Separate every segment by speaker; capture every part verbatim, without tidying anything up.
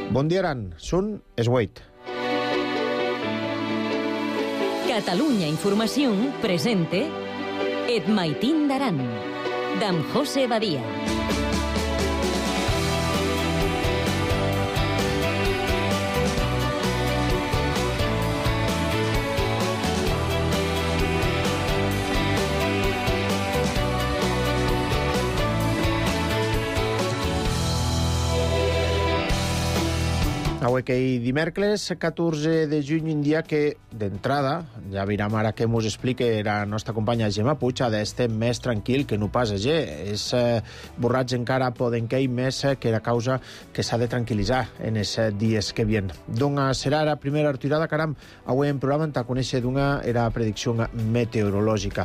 Speaker 1: Bon dia, Aran. Són es vuit.
Speaker 2: Catalunya Informació presente Et Maitín d'Aran, d'en José Badia.
Speaker 1: Avui que hi dimecres, catorze de juny, un dia que, d'entrada, ja veurem ara que mos explica la nostra companya Gemma Puig, ha d'estar més tranquil que no pas ayer. És eh, borratge encara poden que hi més que la causa que s'ha de tranquil·litzar en els dies que vien. D'una serà la primera retirada, caram, avui en programa t'ha conèixer d'una era predicció meteorològica.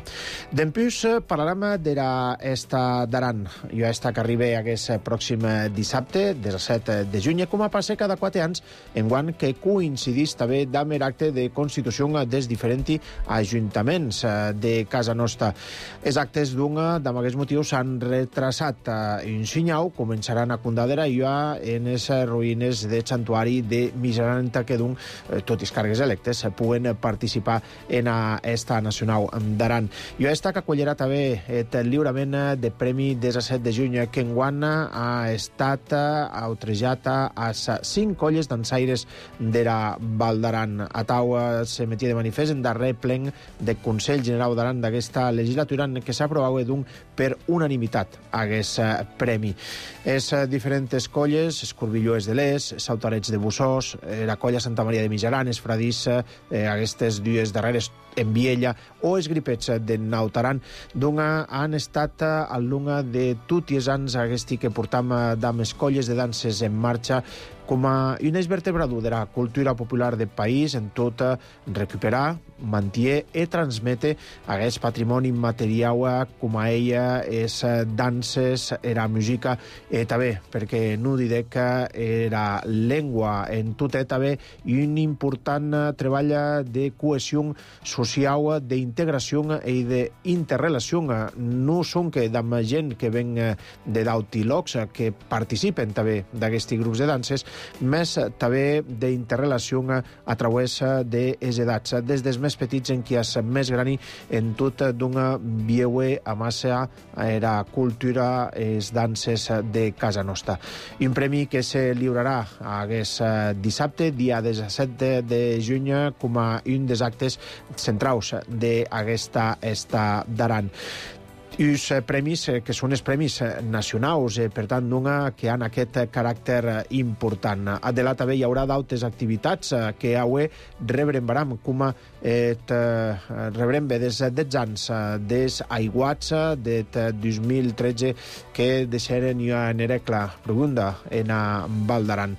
Speaker 1: D'empús parlarem de l'esta d'Aran. Jo esta que arriba aquest pròxim dissabte, disset de juny, com a passe cada quatre anys, enguant que coincidís també amb l'acte de constitució dels diferents ajuntaments de casa nostra. Els actes d'una, d'aquest motiu, s'han retrasat. En Sinyau començaran a condadera ja en les ruïnes del santuari de Miseranta, que d'un, tot i càrregues electes, puguen participar en esta nacional d'Aran. Jo esta que acollirà també el lliurament de premi disset de juny, que enguant ha estat autrejat a cinc colles dansaires de la Val d'Aran. A taua se metia de manifest en darrer plen del Consell General d'Aran d'aquesta legislatura, en què s'aprovava d'un per unanimitat aquest premi. És diferents colles, Escorbilloes de l'Es, Sautarets de Bussós, la colla Santa Maria de Mijaran, es Fradissa, eh, aquestes dues darreres en Viella, o els gripets de Nautaran, d'una han estat al lunga de tots els anys aquesti que portam d'amb colles de danses en marxa, com a un eix vertebrador de la cultura popular del país, en tot recuperar, mantenir i transmetre aquest patrimoni immaterial com a ella és danses, era música, i també, perquè no diré que era llengua en tot i també un important treball de cohesió social, d'integració i d'interrelació. No són que amb gent que ven de d'altres llocs, que participen també d'aquests grups de danses, més també d'interrelació a través de les edats, des dels més petits en qui és més grani en tot d'una vieue a massa era cultura, les danses de casa nostra. Un premi que se lliurarà aquest dissabte, dia disset de juny, com a un dels actes centrals d'aquesta esta d'Aran. Uns premis que són els premis nacionals, per tant, d'una que han aquest caràcter important. A Delà també hi haurà d'altres activitats que avui rebrem baram, com et rebrem bé des dels anys des aiguats del dos mil tretze que deixaren ja en Erecla profunda en Val d'Aran.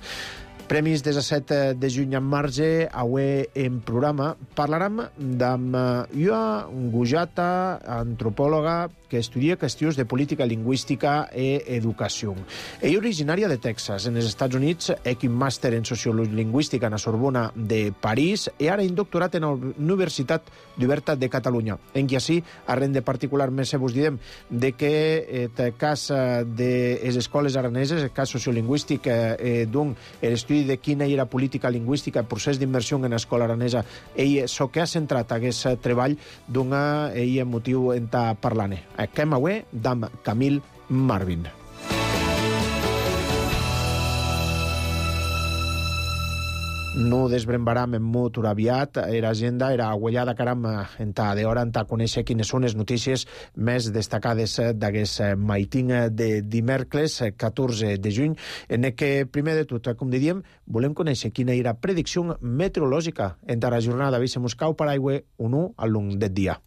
Speaker 1: Premis disset de juny en marge, avui en programa parlarem d'amb una gujata antropòloga que estudia qüestions de política lingüística i educació. Ella originària de Texas, en els Estats Units, és un màster en sociologia lingüística a la Sorbona de París i ara un doctorat en la Universitat d'Oberta de Catalunya. En qui així, arren de particular més vos direm de que el cas de les escoles araneses, el cas sociolingüístic eh, d'un l'estudi de quina era política lingüística, el procés d'immersió en l'escola aranesa, ell so que ha centrat aquest treball d'una ell motiu en ta parlant. Aquem avui d'amb Camille Marvin. No desbrembaram en molt aviat. Era agenda, era agüellada, caram, en ta d'hora, en ta conèixer quines són les notícies més destacades d'aquest maitín de dimecres, catorze de juny, en què, primer de tot, com diríem, volem conèixer quina era predicció meteorològica en ta jornada. Avui se mos cau per aigua o no al long del dia.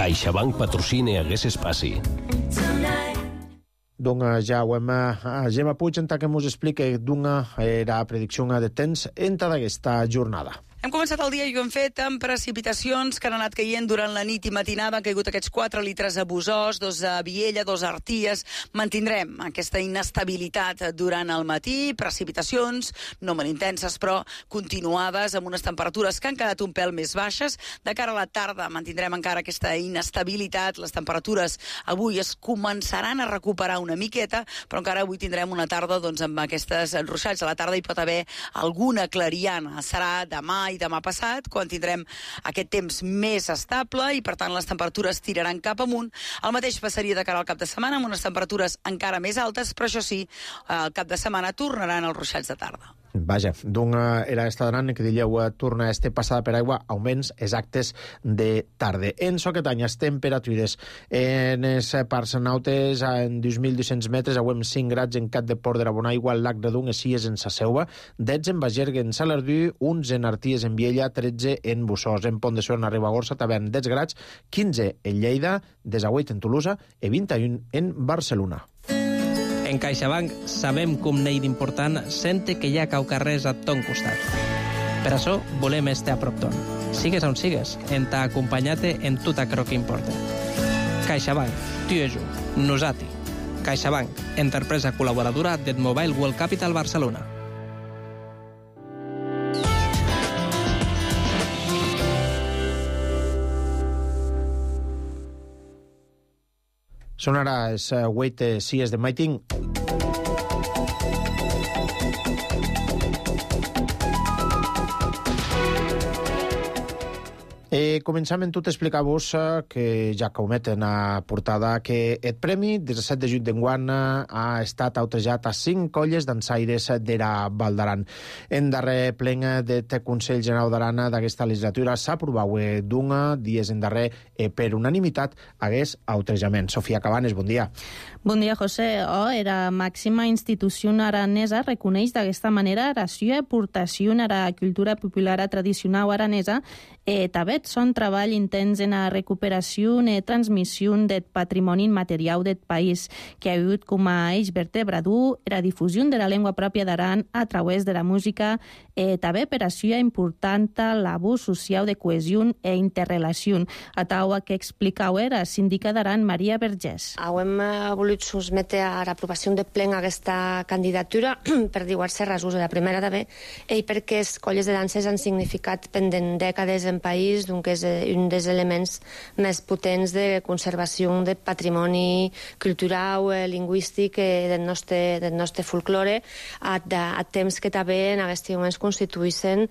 Speaker 3: CaixaBank patrocina aquest espai.
Speaker 1: Doncs ja ho hem a Gemma Puig en que ens explica d'una era predicció de temps en tota aquesta jornada.
Speaker 4: Hem començat el dia i ho hem fet amb precipitacions que han anat caient durant la nit i matinada. Han caigut aquests quatre litres a Busòs, dos a Viella, dos a Arties. Mantindrem aquesta inestabilitat durant el matí, precipitacions, no molt intenses, però continuades, amb unes temperatures que han quedat un pèl més baixes. De cara a la tarda mantindrem encara aquesta inestabilitat. Les temperatures avui es començaran a recuperar una miqueta, però encara avui tindrem una tarda doncs, amb aquestes ruixats. A la tarda hi pot haver alguna clariana. Serà demà i demà passat, quan tindrem aquest temps més estable i, per tant, les temperatures tiraran cap amunt. El mateix passaria de cara al cap de setmana, amb unes temperatures encara més altes, però això sí, al cap de setmana tornaran els ruixats de tarda.
Speaker 1: Vaja, d'una era esta d'anant que diríeu torna este passada per aigua, augments exactes de tarda. En soquet any, les temperatures en els parcs nautes en dos mil dos-cents metres, auem cinc grads en Cat de Port de la Bonaigua, al Lac de Dung, Esies en Sa Seua, dotze en Bagergue, en Salardú, onze en Arties, en Viella, tretze en Busòs, en Pont de Suert, a Ribagorça, també en dotze grads, quinze en Lleida, disset en Tolosa i vint i un en Barcelona.
Speaker 5: En CaixaBank sabem com n'hi d'important sente que hi ha caucarrers a ton costat. Per això volem estar a prop ton. Sigues on sigues, en t'ha acompanyat en tot aquello que importa. CaixaBank, tu és un, nosati. CaixaBank, empresa col·laboradora del Mobile World Capital Barcelona.
Speaker 1: Són ara els uh, Wait Sies de Maiting. Eh, començam en tot explicar-vos eh, que ja que ho meten a portada que el premi disset de juny d'enguany ha estat autrejat a cinc colles dansaires d'era Val d'Aran. En darrer plen del Consell General d'Aran d'aquesta legislatura s'ha aprovat d'una dies en darrer eh, per unanimitat hagués autrejament. Sofia Cabanes, bon dia.
Speaker 6: Bon dia, José. Oh, era màxima institució aranesa reconeix d'aquesta manera la seva aportació a la cultura popular tradicional aranesa e també son treball intens en la recuperació i transmissió del patrimoni immaterial del país, que ha hagut com a eix vertebrador la difusió de la llengua pròpia d'Aran a través de la música e també per a seva important labor social de cohesió e interrelació. A taua que explicau era síndica d'Aran, Maria Vergés.
Speaker 7: Hem volut sotmetre a l'aprovació de plen aquesta candidatura per diverses raons. La primera també, i perquè les colles de danses han significat pendent dècades en país, que és un dels elements més potents de conservació del patrimoni cultural, lingüístic del nostre, del nostre folklore, a, a temps que també en aquests moments constituïssin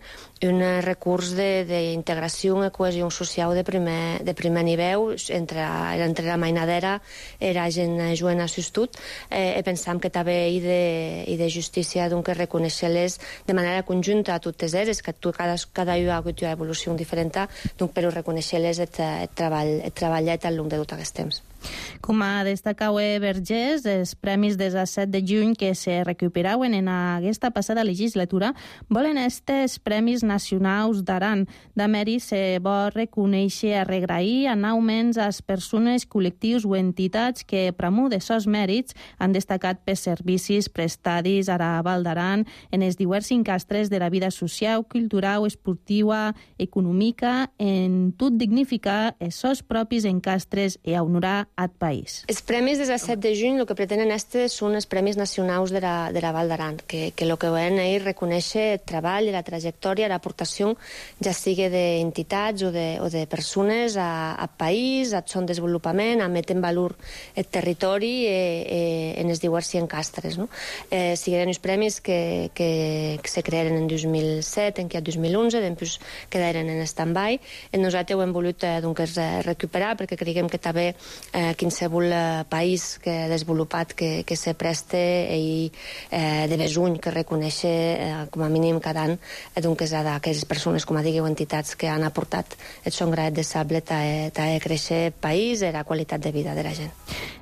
Speaker 7: un recurs d'integració i cohesió social de primer, de primer nivell entre, entre la mainadera i la gent jovent assistut. Eh, pensam que també hi de, hi de justícia que reconèixer-les de manera conjunta a totes elles, que cada, cada una ha hagut una evolució diferent, donc per reconèixer-les el, el treball, el treballet al llarg de tot aquest temps.
Speaker 6: Com a destacau Vergés, els premis del disset de juny que se recuperaven en aquesta passada legislatura volen estes premis nacionals d'Aran. De mèrit se vol reconèixer a regrair en augments a les persones, col·lectius o entitats que, promou de sos mèrits, han destacat per servicis prestats a la Val d'Aran en els diversos encastres de la vida social, cultural, esportiva, econòmica, en tot dignificar els seus propis encastres i honorar al país.
Speaker 7: Els premis del disset de juny el que pretenen estes són els premis nacionals de la, de la Val d'Aran, que, que el que volen és reconèixer el treball, la trajectòria, l'aportació, ja sigui d'entitats o de, o de persones a, a país, a son desenvolupament, a metre en valor el territori eh, eh, en els diversos encastres. No? Eh, sigueren els premis que, que, que se crearen en dos mil set, en què a dos mil onze, després quedaren en stand-by. Nosaltres ho hem volut eh, doncs, recuperar perquè creiem que també eh, qualsevol eh, país que ha desenvolupat que, que se preste i eh, de besuny que reconèixer eh, com a mínim cada any eh, doncs d'aquelles persones, com a digueu, entitats que han aportat el son graet de sable a, a créixer el país i la qualitat de vida de la gent.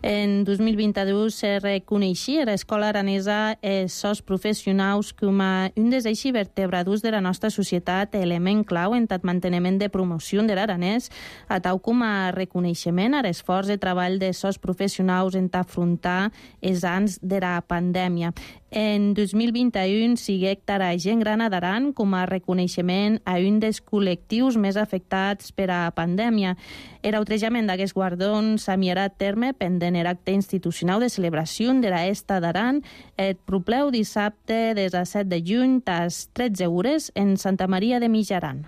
Speaker 6: En dos mil vint-i-dos se reconeixia l'escola aranesa els seus professionals com a un dels eixos vertebradors de la nostra societat, element clau en el manteniment de promoció de l'aranès, a tal com a reconeixement a l'esforç de treball de sos professionals en afrontar els anys de la pandèmia. En dos mil vint-i-un siguec tara gent gran a Daran com a reconeixement a un dels col·lectius més afectats per a pandèmia. El outrejament d'aquests guardons s'amiarà a terme pendent el acte institucional de celebració de la Esta d'Aran el propleu dissabte des a set de juny tas tretze hores en Santa Maria de Mijaran.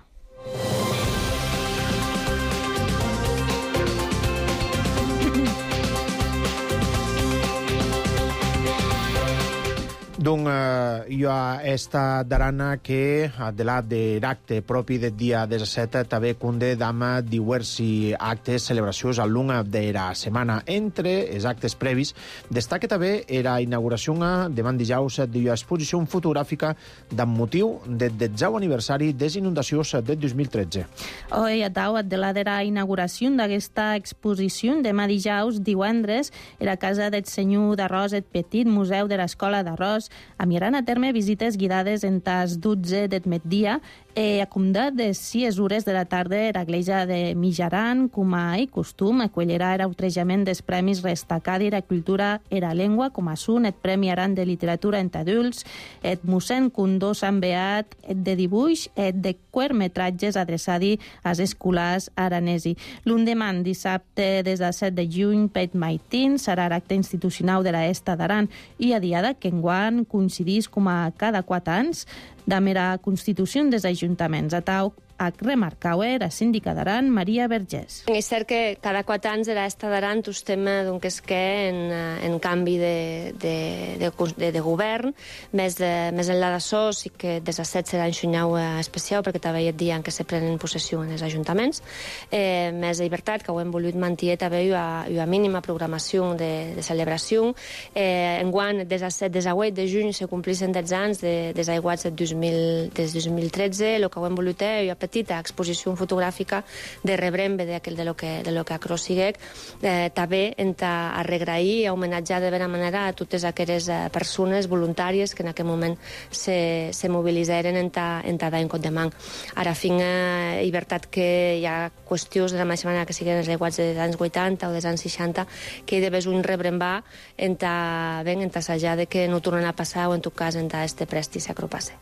Speaker 1: Donc, eh, hi ha esta darana que, de la de l'acte propi del dia disset, també conde dama diversi actes, celebracions al longo de la setmana. Entre els actes previs, destaca també la inauguració demà dijous de l'exposició fotogràfica amb motiu del desè aniversari de les inundacions del dos mil tretze.
Speaker 6: Hoy, a tau, de la de la inauguració d'aquesta exposició demà dijous, divendres, a la casa del senyor d'Arròs, el petit museu de l'Escola d'Arròs, amiran a terme visites guiades en tas dotze del migdia e a comdat de sis hores de la tarda a l'església de Mijaran, com a i costum, acollerà l'outrejament dels premis Restacadi de la cultura i la llengua, com a són el Premi Aran de literatura en adults, el mossèn Condó Sant Beat, el de dibuix, el de curtmetratges adreçadi als escolars aranesi. L'endemà, dissabte, des del set de juny, Pet Maitín, serà l'acte institucional de la Esta d'Aran i a diada que enguany coincidís com a cada quatre anys de mera constitució dels ajuntaments. A tau, a remarcar-ho, la síndica d'Aran, Maria Vergés.
Speaker 7: És cert que cada quatre anys de l'Esta d'Aran estem donc, és que en, en canvi de, de, de, de, de govern, més, de, més enllà d'això, sí que des de set serà un xunyau especial, perquè també hi ha dia en què se prenen possessió en els ajuntaments. Eh, més de llibertat, que ho hem volut mantenir també una, una mínima programació de, de celebració. Eh, enguany, des de set, des de vuit de juny, se complixen deu anys de, des aiguats del dos mil, des dos mil tretze. El que ho hem volut és una petita exposició fotogràfica de rebrembe de, de lo que, de lo que acròssiguec, eh, també en a regrair i homenatjar de bona manera a totes aquelles eh, persones voluntàries que en aquell moment se, se mobilitzaren en ta, en ta dar en cot de man. Ara, fin, eh, llibertat que hi ha qüestions de la mateixa manera que siguin els aiguats dels anys vuitanta o dels anys seixanta, que hi devés un rebrembar en ta, ben, en ta assajar de que no tornen a passar o en tot cas en ta este presti s'acropasse.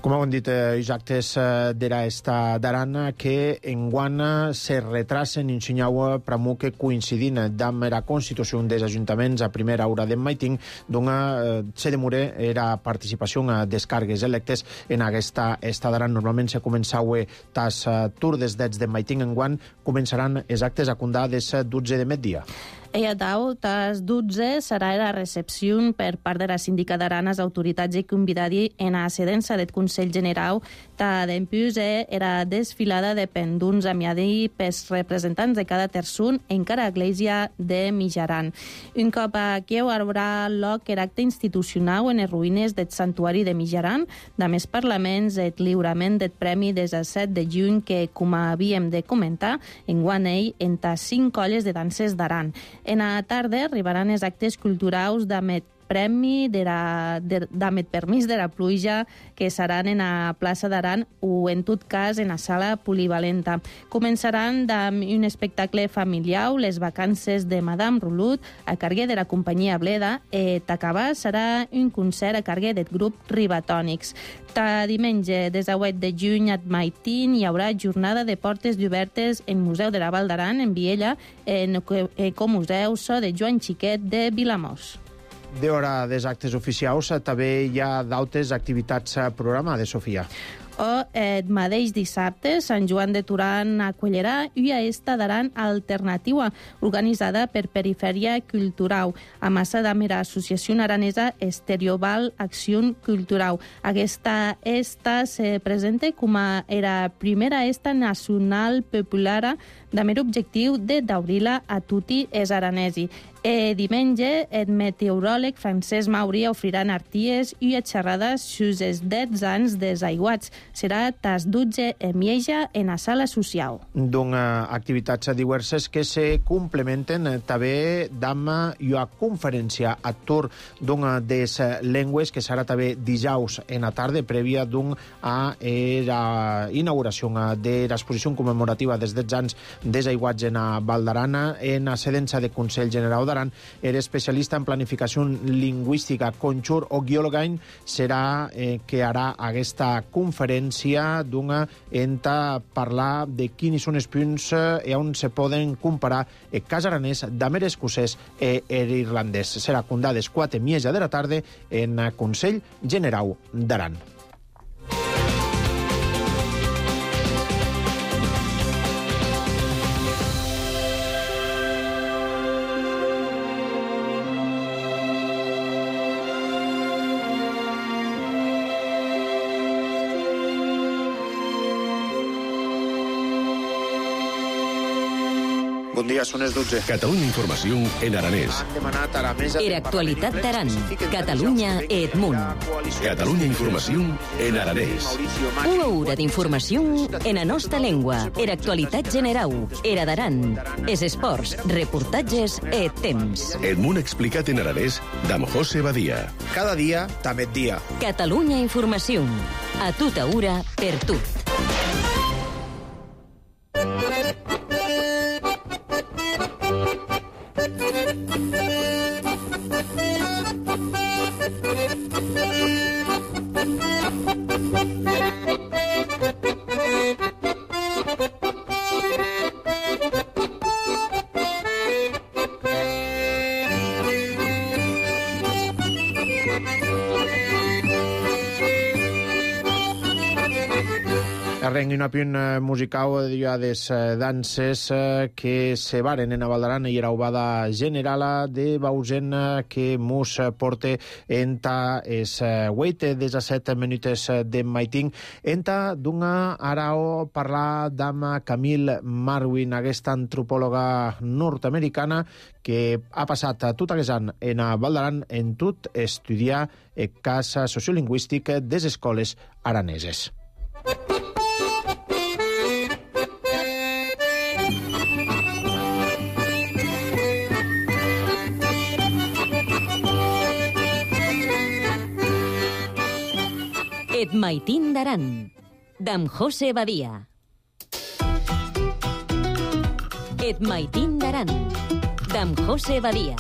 Speaker 1: Com heu dit, eh, els actes eh, de l'Esta d'Aran que enguana se retrasen en Xinyau pramo que coincidint amb la constitució dels ajuntaments a primera hora de Maitín, doncs eh, se demora la participació a descargues electes en aquesta Esta d'Aran. Normalment se començava tas uh, turdes des de Maitín, enguany començaran els actes a condar des dotze de migdia.
Speaker 6: I a tau, tas dotze serà la recepció per part de la síndica d'Aran als autoritats i convidadi en la sedença del Consell General ta d'empús era desfilada de penduns amiadi pels representants de cada terçun en cada església de Mijaran. Un cop aquí haurà lloc l'acte institucional en les ruïnes del santuari de Mijaran, de més parlaments, el lliurament del premi des del set de juny que, com havíem de comentar, enguany ell en tas cinc colles de danses d'Aran. En la tarda arribaran els actes culturals d'Amet premi de la, de, d'Amet permís de la pluja que seran en la plaça d'Aran o en tot cas en la sala polivalenta. Començaran amb un espectacle familiar, les vacances de Madame Rulut, a carguer de la companyia Bleda, i t'acabar serà un concert a carguer del grup Ribatònics. Ta diumenge, des de vuit de juny a Maitín, hi haurà jornada de portes obertes en Museu de la Val d'Aran, en Viella, en Ecomuseu So de Joan Xiquet de Vilamós.
Speaker 1: D'hora dels actes oficials, també hi ha d'altres activitats programades, Sofia.
Speaker 6: O el mateix dissabte, Sant Joan de Turan acollerà una Esta d'Aran alternativa organitzada per Perifèria Cultural, a massa de la Associació Aranesa Estereoval Acció Cultural. Aquesta Esta se presenta com a la primera Esta nacional popular de mer objectiu de daurir-la a tutti els aranesi. E diumenge, el meteoròleg Francesc Mauri ofrirà arties i xerrades sus els deu anys dels aiguats. serà tas dotze e mitja en la sala social.
Speaker 1: D'una activitats diverses que se complementen també amb una conferència a tour d'una des llengües que serà també dijous en la tarda prèvia d'un a la inauguració de l'exposició commemorativa dels dotze anys des aiguats en a Val d'Aran en la sedença de Consell General d'Aran. Era especialista en planificació lingüística. Conxur Oghiologain serà eh, que harà aquesta conferència d'una enta parlar de quins són els punts eh, on se poden comparar el cas aranès d'amer escocès i irlandès. Serà condades quatre i mitja de la tarda en el Consell General d'Aran. Bon dia, són les dotze.
Speaker 3: Catalunya Informació en aranès.
Speaker 1: Han demanat a la mesa...
Speaker 2: Era actualitat d'Aran. Catalunya Edmunt.
Speaker 3: Catalunya Informació en aranès.
Speaker 2: Una hora d'informació en la nostra llengua. Era actualitat general. Era d'Aran. Es esports, reportatges e temps.
Speaker 3: Edmunt explicat en aranès d'Am José Badia.
Speaker 1: Cada dia, també dia.
Speaker 2: Catalunya Informació. A tota hora, per tot.
Speaker 1: Arrenc una punt musical de les danses que se varen en a Val d'Aran i era obada generala de Bausen que mos porte enta es huit disset minutes de maiting enta d'una arao parlar d'ama Camille Marwin, aquesta antropòloga nord-americana que ha passat tot aquest any en a Val d'Aran en tot estudiar el cas sociolingüístic des escoles araneses.
Speaker 2: Et maitín d'Aran, d'Am José Badia. Et maitín d'Aran, d'Am José Badia.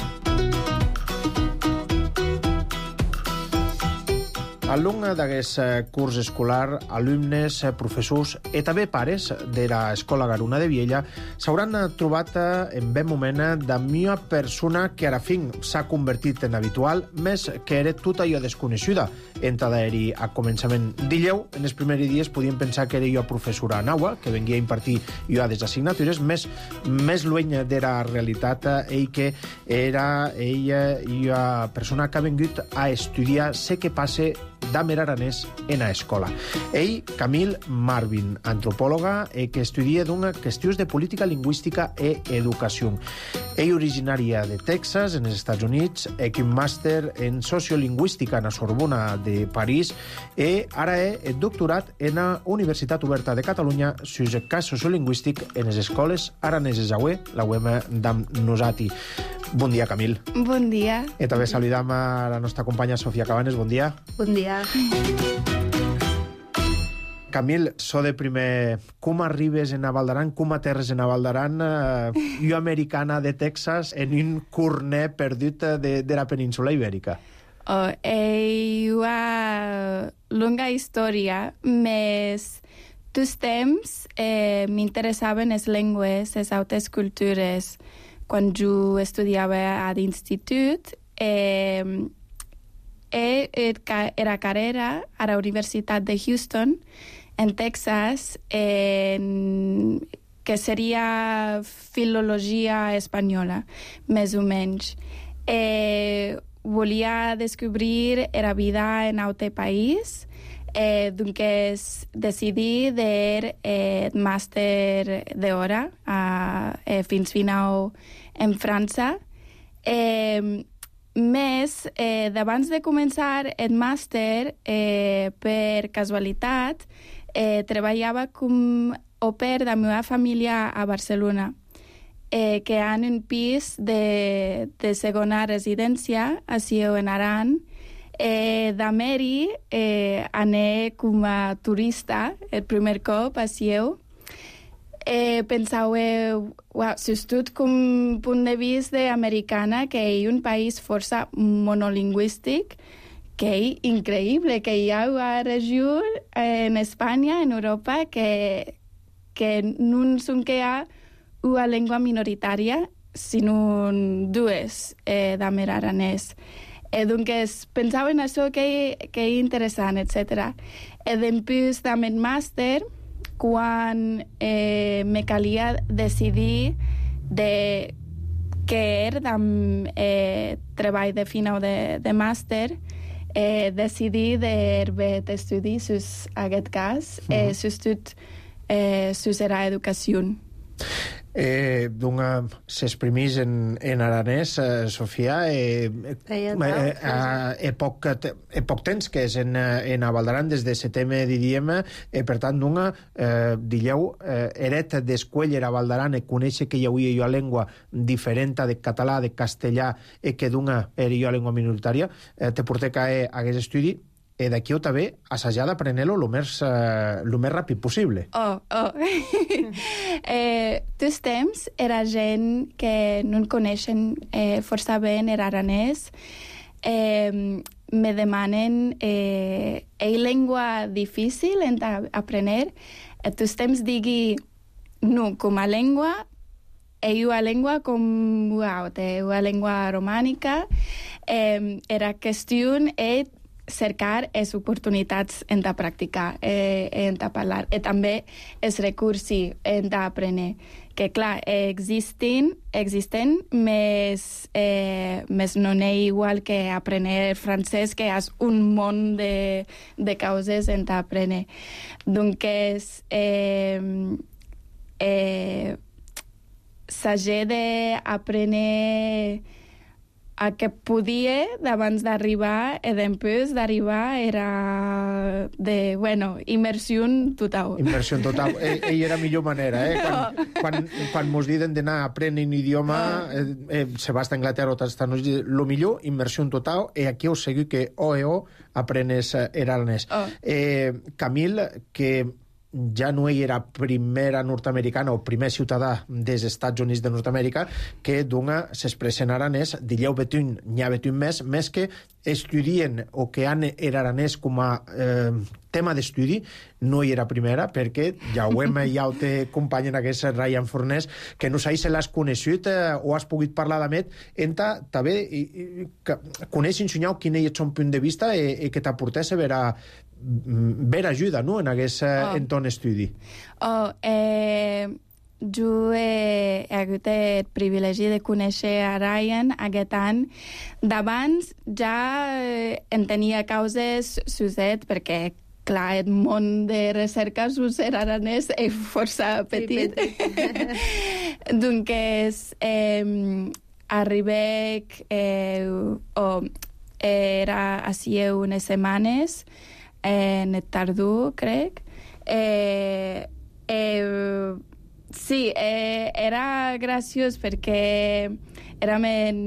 Speaker 1: Al long d'aquest curs escolar, alumnes, professors i també pares de l'Escola Garuna de Viella s'hauran trobat en ben moment d'una una persona que ara fin s'ha convertit en habitual, més que era tot allò desconeguda. Entra d'ahir a començament d'illeu, en els primers dies podíem pensar que era jo professora naua, que venia a impartir jo a des assignatures, més, més lluny de la realitat, ell que era ella jo persona que ha vingut a estudiar sé què passa d'amer aranès en a escola. Ell, Camille Marwin, antropòloga eh, que estudia d'una qüestions de política lingüística e educació. Ell originària de Texas, en els Estats Units, és un màster en sociolingüística en la Sorbona de París i ara és doctorat en la Universitat Oberta de Catalunya sobre el cas sociolingüístic en les escoles araneses. Avui la U E M d'Am Nosati. Bon dia, Camille.
Speaker 8: Bon dia.
Speaker 1: I també saludam a la nostra companya Sofia Cabanes. Bon dia.
Speaker 8: Bon dia.
Speaker 1: Camille, so de primer, com arribes en a Val d'Aran, com aterres en a Val d'Aran, eh, jo americana de Texas, en un corner perdut de, de la península ibèrica?
Speaker 8: Oh, eh, una longa història, més tots temps eh, m'interessaven les llengües, les altres cultures. Quan jo estudiava a l'institut, eh, era carrera a la Universitat de Houston, en Texas, en, que seria filologia espanyola, més o menys. Eh, volia descobrir la vida en altre país, eh, doncs decidí de eh, màster d'hora eh, fins final en França. Eh, més, eh, d'abans de començar el màster, eh, per casualitat, eh, treballava com au pair de la meva família a Barcelona, eh, que han un pis de, de segona residència a Sieu en Aran. Eh, de Meri eh, ané com a turista el primer cop a Sieu. Eh, pensàveu, wow, sobretot com punt de vista d'americana, que és un país força monolingüístic, que és increïble, que hi ha una regió en Espanya, en Europa, que, que no són que hi ha una llengua minoritària, sinó dues eh, d'amer aranès. Eh, doncs pensava en això que, que és interessant, etcètera. E després d'amer màster, quan eh, me calia decidir de què era de eh, treball de final de, de màster, eh, decidir d'haver d'estudi sus aquest cas, eh, sus tot, eh, sus era educació.
Speaker 1: Eh, D'una s'exprimís en, en aranès, eh, Sofia, eh, eh, eh, eh, poc, eh, poc temps que és en, en a Val d'Aran des de setembre, diríem, eh, per tant, d'una, eh, dilleu, eh, eret d'escueller a Val d'Aran, e conèixer que hi hauria una llengua diferent de català, de castellà, e que d'una era una llengua minoritària, eh, te porté que eh, hagués estudi, e d'aquí o també assajar d'aprenent-lo el més, eh, lo més ràpid possible.
Speaker 8: Oh, oh. eh, tots temps era gent que no en coneixen eh, força bé en aranès. Eh, me demanen eh, ei llengua difícil en aprender. Eh, tots temps digui no, com a llengua, ei una llengua com wow, té una llengua romànica. Eh, era qüestió de cercar les oportunitats en de practicar, eh, en de parlar, i també els recursos en d'aprendre, que clar, existen, existen més, eh, més no és igual que aprendre francès, que és un món de, de causes en d'aprendre. Donc, eh, eh, s'hagi d'aprendre a que podia d'abans d'arribar, i després d'arribar era de, bueno, immersió total.
Speaker 1: Immersió total. Ell, ell era millor manera, eh? Quan, quan, quan mos diuen d'anar a aprendre un idioma, eh, eh, se va a Anglaterra o t'estan lo millor, immersió total, i aquí us seguiu que o e o aprenes aranès. Oh. Eh, Camil, que ja no ell era primera nord-americana o primer ciutadà dels Estats Units de Nord-Amèrica, que d'una s'expressa en aranès, dilleu betun, n'hi ha betun més, més que estudien o que han er aranès com a eh, tema d'estudi, no hi era primera, perquè ja ho hem, ja ho té company en aquest Ryan Fornés, que no sé si l'has conegut eh, o has pogut parlar d'Amet, enta també coneix ensenyar quin és el seu punt de vista i, i que t'aportés a veure ver ajuda, no?, en aquest oh. entorn estudi.
Speaker 8: Oh, eh, jo he, he hagut el privilegi de conèixer a Ryan aquest any. D'abans ja eh, en tenia causes suset, perquè clar, el món de recerca sus aranès és força petit. Donc, eh, arribé eh, o era a Sieu unes setmanes, en el tardor, crec. Eh, eh, sí, eh, era graciós perquè érem en,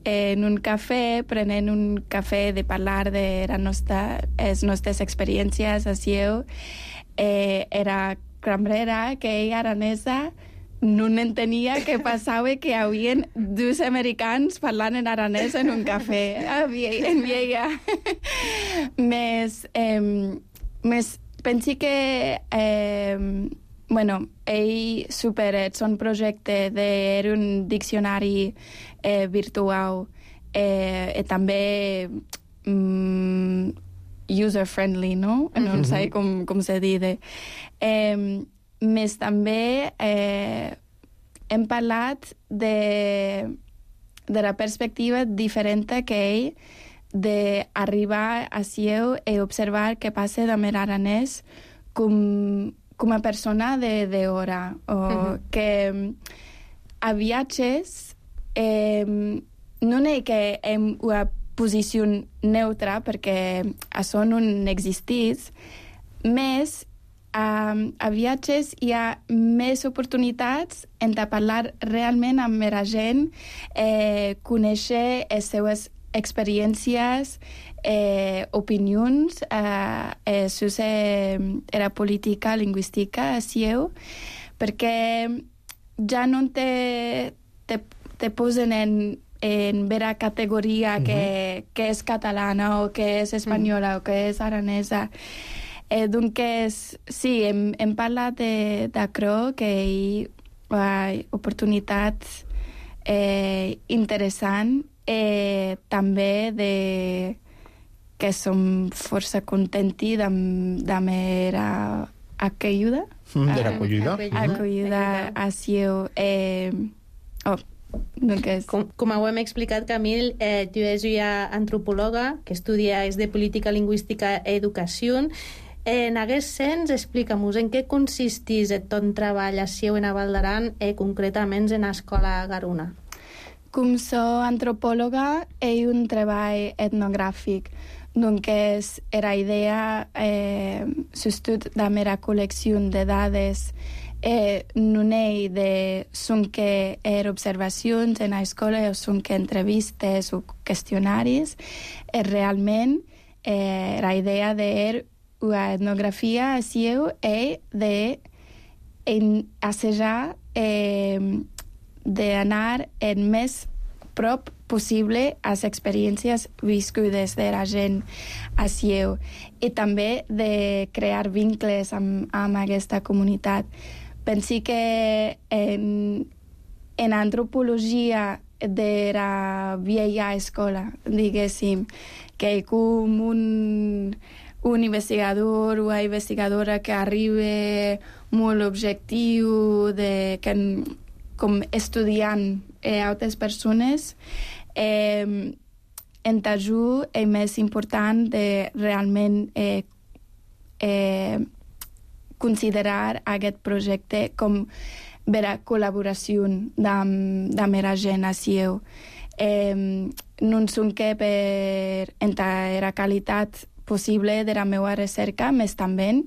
Speaker 8: en un cafè, prenent un cafè de parlar de les nostra, nostres experiències a Sieu. Eh, era cambrera, que ella aranesa, no entenia què passava, que hi havia dos americans parlant en aranès en un cafè en Viella. Més, eh, més pensi que eh, bueno, ell superat son projecte d'era un diccionari eh, virtual eh, i també mm, user-friendly, no? No sé com, com se diu. Eh, més també eh, hem parlat de, de la perspectiva diferent que ell d'arribar a Sieu i observar què passa de mer aranès com, com a persona d'hora. O uh-huh. que a viatges eh, no és que hem una posició neutra, perquè això no existeix, més a, a viatges hi ha més oportunitats en de parlar realment amb la gent, eh, conèixer les seues experiències, eh, opinions, eh, eh, sus eh, era política lingüística a Sieu, perquè ja no te, te, te posen en, en vera categoria uh-huh. que, que és catalana o que és espanyola uh-huh. o que és aranesa. Eh, doncs, sí, hem, hem parlat d'això, que hi ha oportunitats eh, interessants, eh, també de que som força contenti de, de mera acollida.
Speaker 1: Mm, de l'acollida.
Speaker 8: Acollida a Sieu. Eh, oh, doncs...
Speaker 6: Com, com ho hem explicat, Camil, eh, tu és una antropòloga que estudia és de política lingüística i educació. En aquest sens, explica'm-nos en què consisteix el ton treball a Sieu en a Val d'Aran i concretament en l'escola Garuna.
Speaker 8: Com soc antropòloga, és un treball etnogràfic. Doncs la idea, eh, sobretot de mera col·lecció de dades, eh, no és de són que er observacions en l'escola o són que entrevistes o qüestionaris, és realment eh, la idea de una etnografia a Sieu és de assajar eh, d'anar el més prop possible a les experiències viscudes de la gent a Sieu i també de crear vincles amb, amb aquesta comunitat. Pensi que en, en antropologia de la vella escola, diguéssim, que hi com un, un investigador o una investigadora que arriba molt objectiu, de, que, com estudiant eh, altres persones, eh, en Tajú és més important de realment eh, eh, considerar aquest projecte com vera col·laboració amb la gent a Sieu. Eh, no són que per entrar la qualitat possible de la meva recerca, més també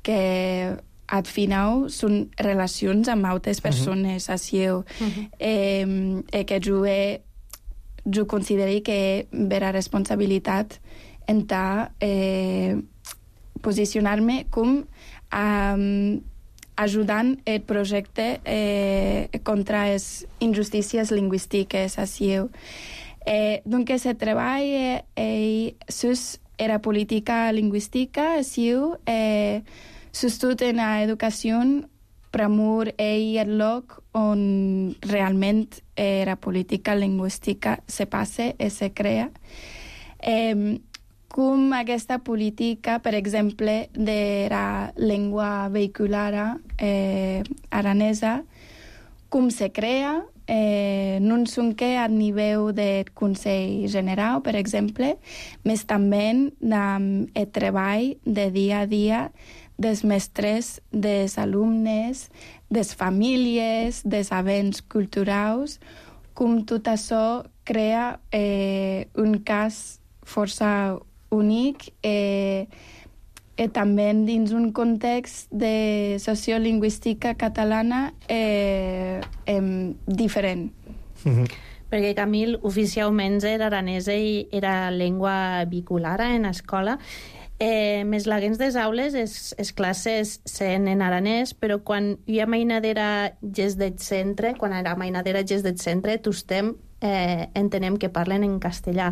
Speaker 8: que al final són relacions amb altres persones uh-huh. a Sieu. Uh-huh. Eh, eh, que jo, he, jo considero que vera responsabilitat en eh, posicionar-me com um, ajudant el projecte eh, contra les injustícies lingüístiques a Sieu. Eh, doncs el treball eh, eh, sus era política lingüística a Sieu, eh, sobretot en l'educació, Pramur és el lloc on realment eh, la política lingüística se passa i se crea. Eh, com aquesta política, per exemple, de la llengua vehicular eh, aranesa, com se crea, eh, no són que a nivell del Consell General, per exemple, més també amb el treball de dia a dia dels mestres, dels alumnes, des famílies, des events culturals, com tot això crea eh, un cas força únic eh, i també dins un context de sociolingüística catalana eh, eh, diferent.
Speaker 6: Mm-hmm. Perquè, Camil, oficialment l'aranès era llengua vehicular en l'escola. Eh, més laguens des aules, les, les classes sent en aranès, però quan hi ha mainadera gest del centre, quan hi ha mainadera gest del centre, tostem eh, entenem que parlen en castellà.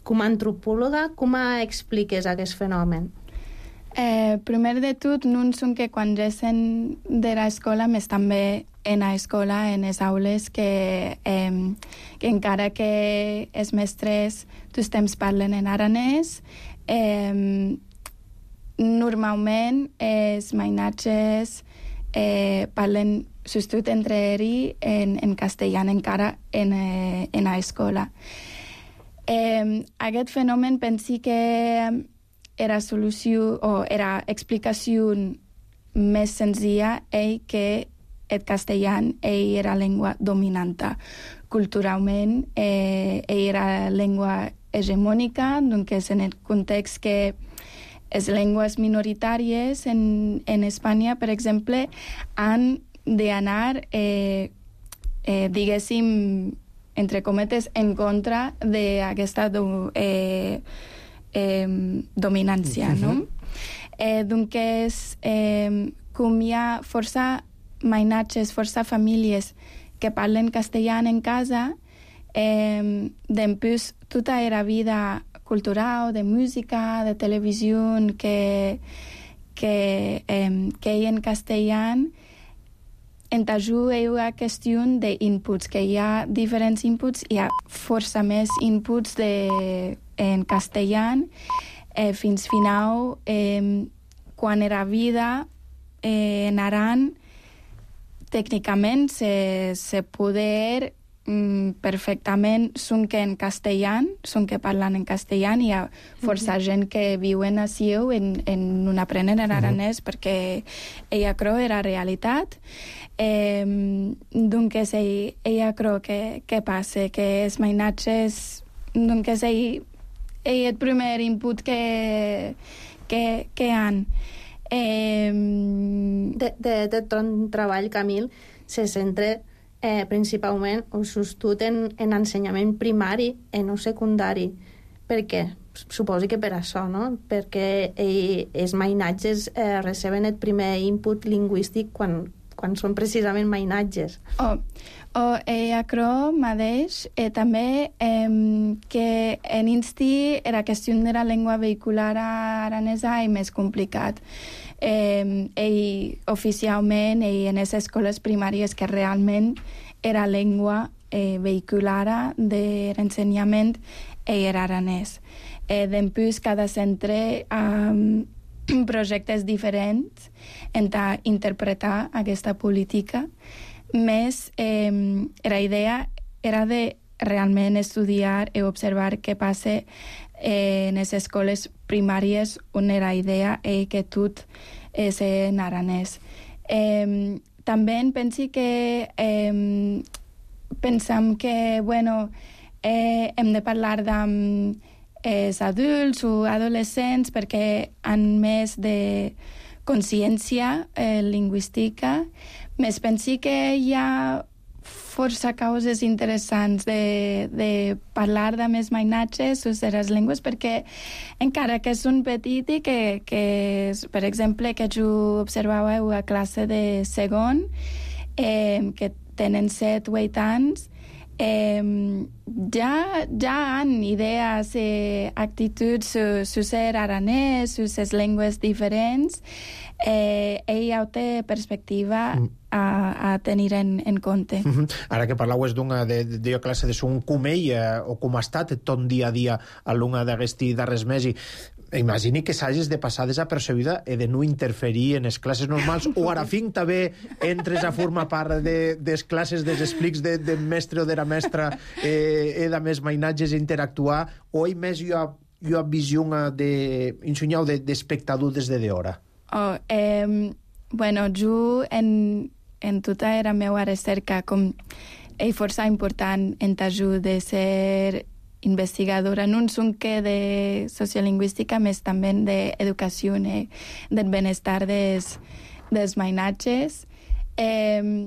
Speaker 6: Com a antropòloga, com expliques aquest fenomen?
Speaker 8: Eh, primer de tot, no són que quan gessen de l'escola, més també en l'escola, en les aules, que, eh, que encara que els mestres tots temps parlen en aranès, eh, normalment els mainatges eh, parlen sobretot entre ells en, en castellà encara en, eh, en l'escola. Eh, aquest fenomen pensi que era solució o era explicació més senzilla és que el castellà ell era llengua dominant. Culturalment eh, ell era llengua hegemònica, doncs en el context que les llengües minoritàries en, en Espanya, per exemple, han d'anar, eh, eh, diguéssim, entre cometes, en contra d'aquesta do, eh, eh, dominància, uh-huh. no? Eh, doncs, eh, com hi ha força mainatges, força famílies que parlen castellà en casa, eh, després tota la vida cultural, de música, de televisió, que, que, eh, que hi en castellà, en tajú hi ha qüestió d'inputs, que hi ha diferents inputs, hi ha força més inputs de, en castellà, eh, fins final, eh, quan era vida, eh, en Aran, tècnicament se, se poder mm, perfectament són que en castellà, són que parlen en castellà, hi ha força uh-huh. gent que viuen a Sieu en, en un aprenen en aranès uh-huh. perquè ella creu era realitat. Eh, doncs ell, ella creu que, que passa, que els mainatges, doncs ell, ell el primer input que, que, que han.
Speaker 6: Eh, de, de, de ton treball, Camil, se centra eh, principalment o sostut en, en ensenyament primari i no secundari. Per què? Suposo que per això, no? Perquè eh, els mainatges eh, receben el primer input lingüístic quan, quan són precisament mainatges.
Speaker 8: Oh, oh eh, crec mateix eh, també eh, que en insti la qüestió de la llengua vehicular aranesa és més complicat. Eh, ell, oficialment, ell, en les escoles primàries que realment era llengua eh, vehicular de l'ensenyament, ell era aranès. Eh, després, cada centre um, projectes diferents en interpretar aquesta política. Més, eh, la idea era de realment estudiar i observar què passa eh, en les escoles primàries on la idea és que tot és en aranès. Eh, també penso que eh, pensem que, bueno, eh, hem de parlar amb els adults o adolescents perquè han més de consciència eh, lingüística. Més penso que hi ha força causes interessants de, de parlar de més mainatges o de les llengües, perquè encara que són petits i que, que, per exemple, que jo observàveu a classe de segon, eh, que tenen set o vuit anys, eh, ja, ja han idees i eh, actituds sobre ser aranès, sobre les llengües diferents, eh, ell té perspectiva mm. a, a tenir en, en compte.
Speaker 1: Mm-hmm. Ara que parlàveu d'una de, de, de classe de son com ell, eh, o com ha estat tot dia a dia alumna d'aquesti darrers mes, i imagini que s'hagis de passar desapercebida i de no interferir en les classes normals, o ara fin també entres a formar part de les classes, dels explics de, de mestre o de la mestra, eh, de més mainatges a interactuar, o hi més hi ha, hi ha visió d'ensenyar de, d'espectador des de d'hora?
Speaker 8: Oh, eh, bueno, jo en, en tota la meva recerca com és força important en t'ajut de ser investigadora, no sonque de sociolingüística, més també d'educació i del benestar des, dels mainatges. Eh,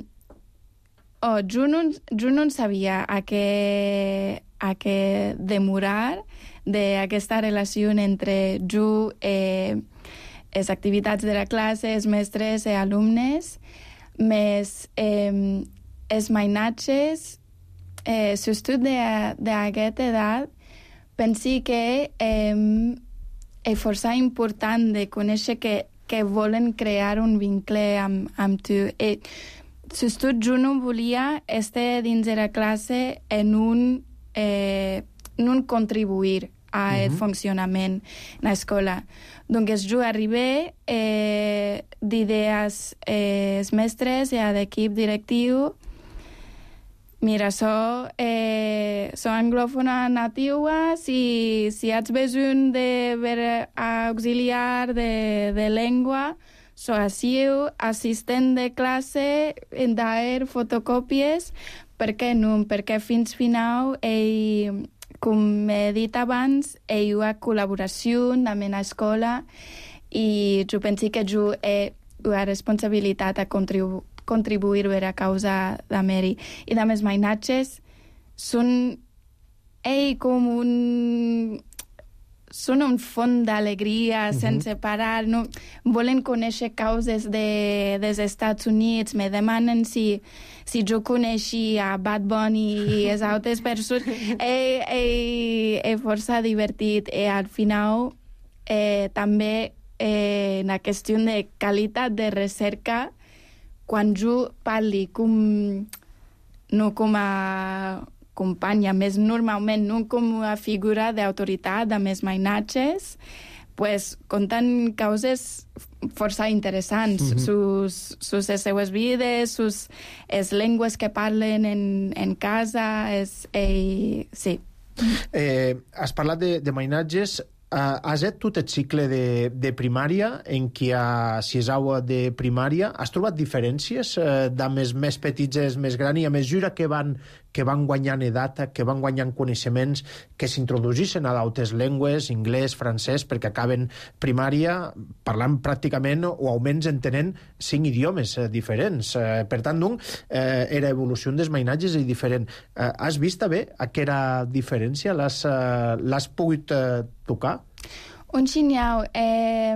Speaker 8: oh, jo, no, jo no sabia a què, a què demorar d'aquesta relació entre jo i eh, les activitats de la classe, els mestres i alumnes, més eh, els mainatges, eh, sobretot d'aquesta edat, penso que eh, és força important de conèixer que, que volen crear un vincle amb, amb tu. I, sobretot jo no volia estar dins de la classe en un, eh, en un contribuir al uh-huh. funcionament de l'escola. Doncs jo arribé eh, d'idees eh, els mestres i a l'equip directiu. Mira, so, eh, so anglòfona nativa, si, si ets besoin de ver auxiliar de, de llengua, so asiu, assistent de classe, d'aer fotocòpies, per què no? Perquè fins final ell com he dit abans, hi ha col·laboració amb la escola i jo penso que jo he la responsabilitat a contribu contribuir a la causa de Mary. I de més mainatges són ell com un... són un font d'alegria uh-huh. sense parar, no? Volen conèixer causes de, dels Estats Units, me demanen si, si jo coneixia a Bad Bunny i les altres persones. És eh, eh, força divertit i al final eh, també eh, la qüestió de qualitat de recerca, quan jo parli com, no com a companya, més normalment, no com a figura d'autoritat, de més mainatges, pues, conten causes força interessants, mm-hmm. sus, sus les seues vides, sus les llengües que parlen en, en casa, és, eh, sí.
Speaker 1: Eh, has parlat de, de mainatges. Uh, has fet tot el cicle de, de primària, en què a sisau de primària has trobat diferències uh, d'homes més petits i més grans, i a mesura que van, que van guanyant edat, que van guanyant coneixements, que s'introduïssin a d'altres llengües, anglès, francès, perquè acaben primària parlant pràcticament o almenys entenent cinc idiomes uh, diferents. Uh, per tant, doncs, uh, era evolució dels mainatges i diferent. Uh, has vist bé aquesta diferència? L'has uh, pogut uh, tocar?
Speaker 8: Un xinyau. Eh,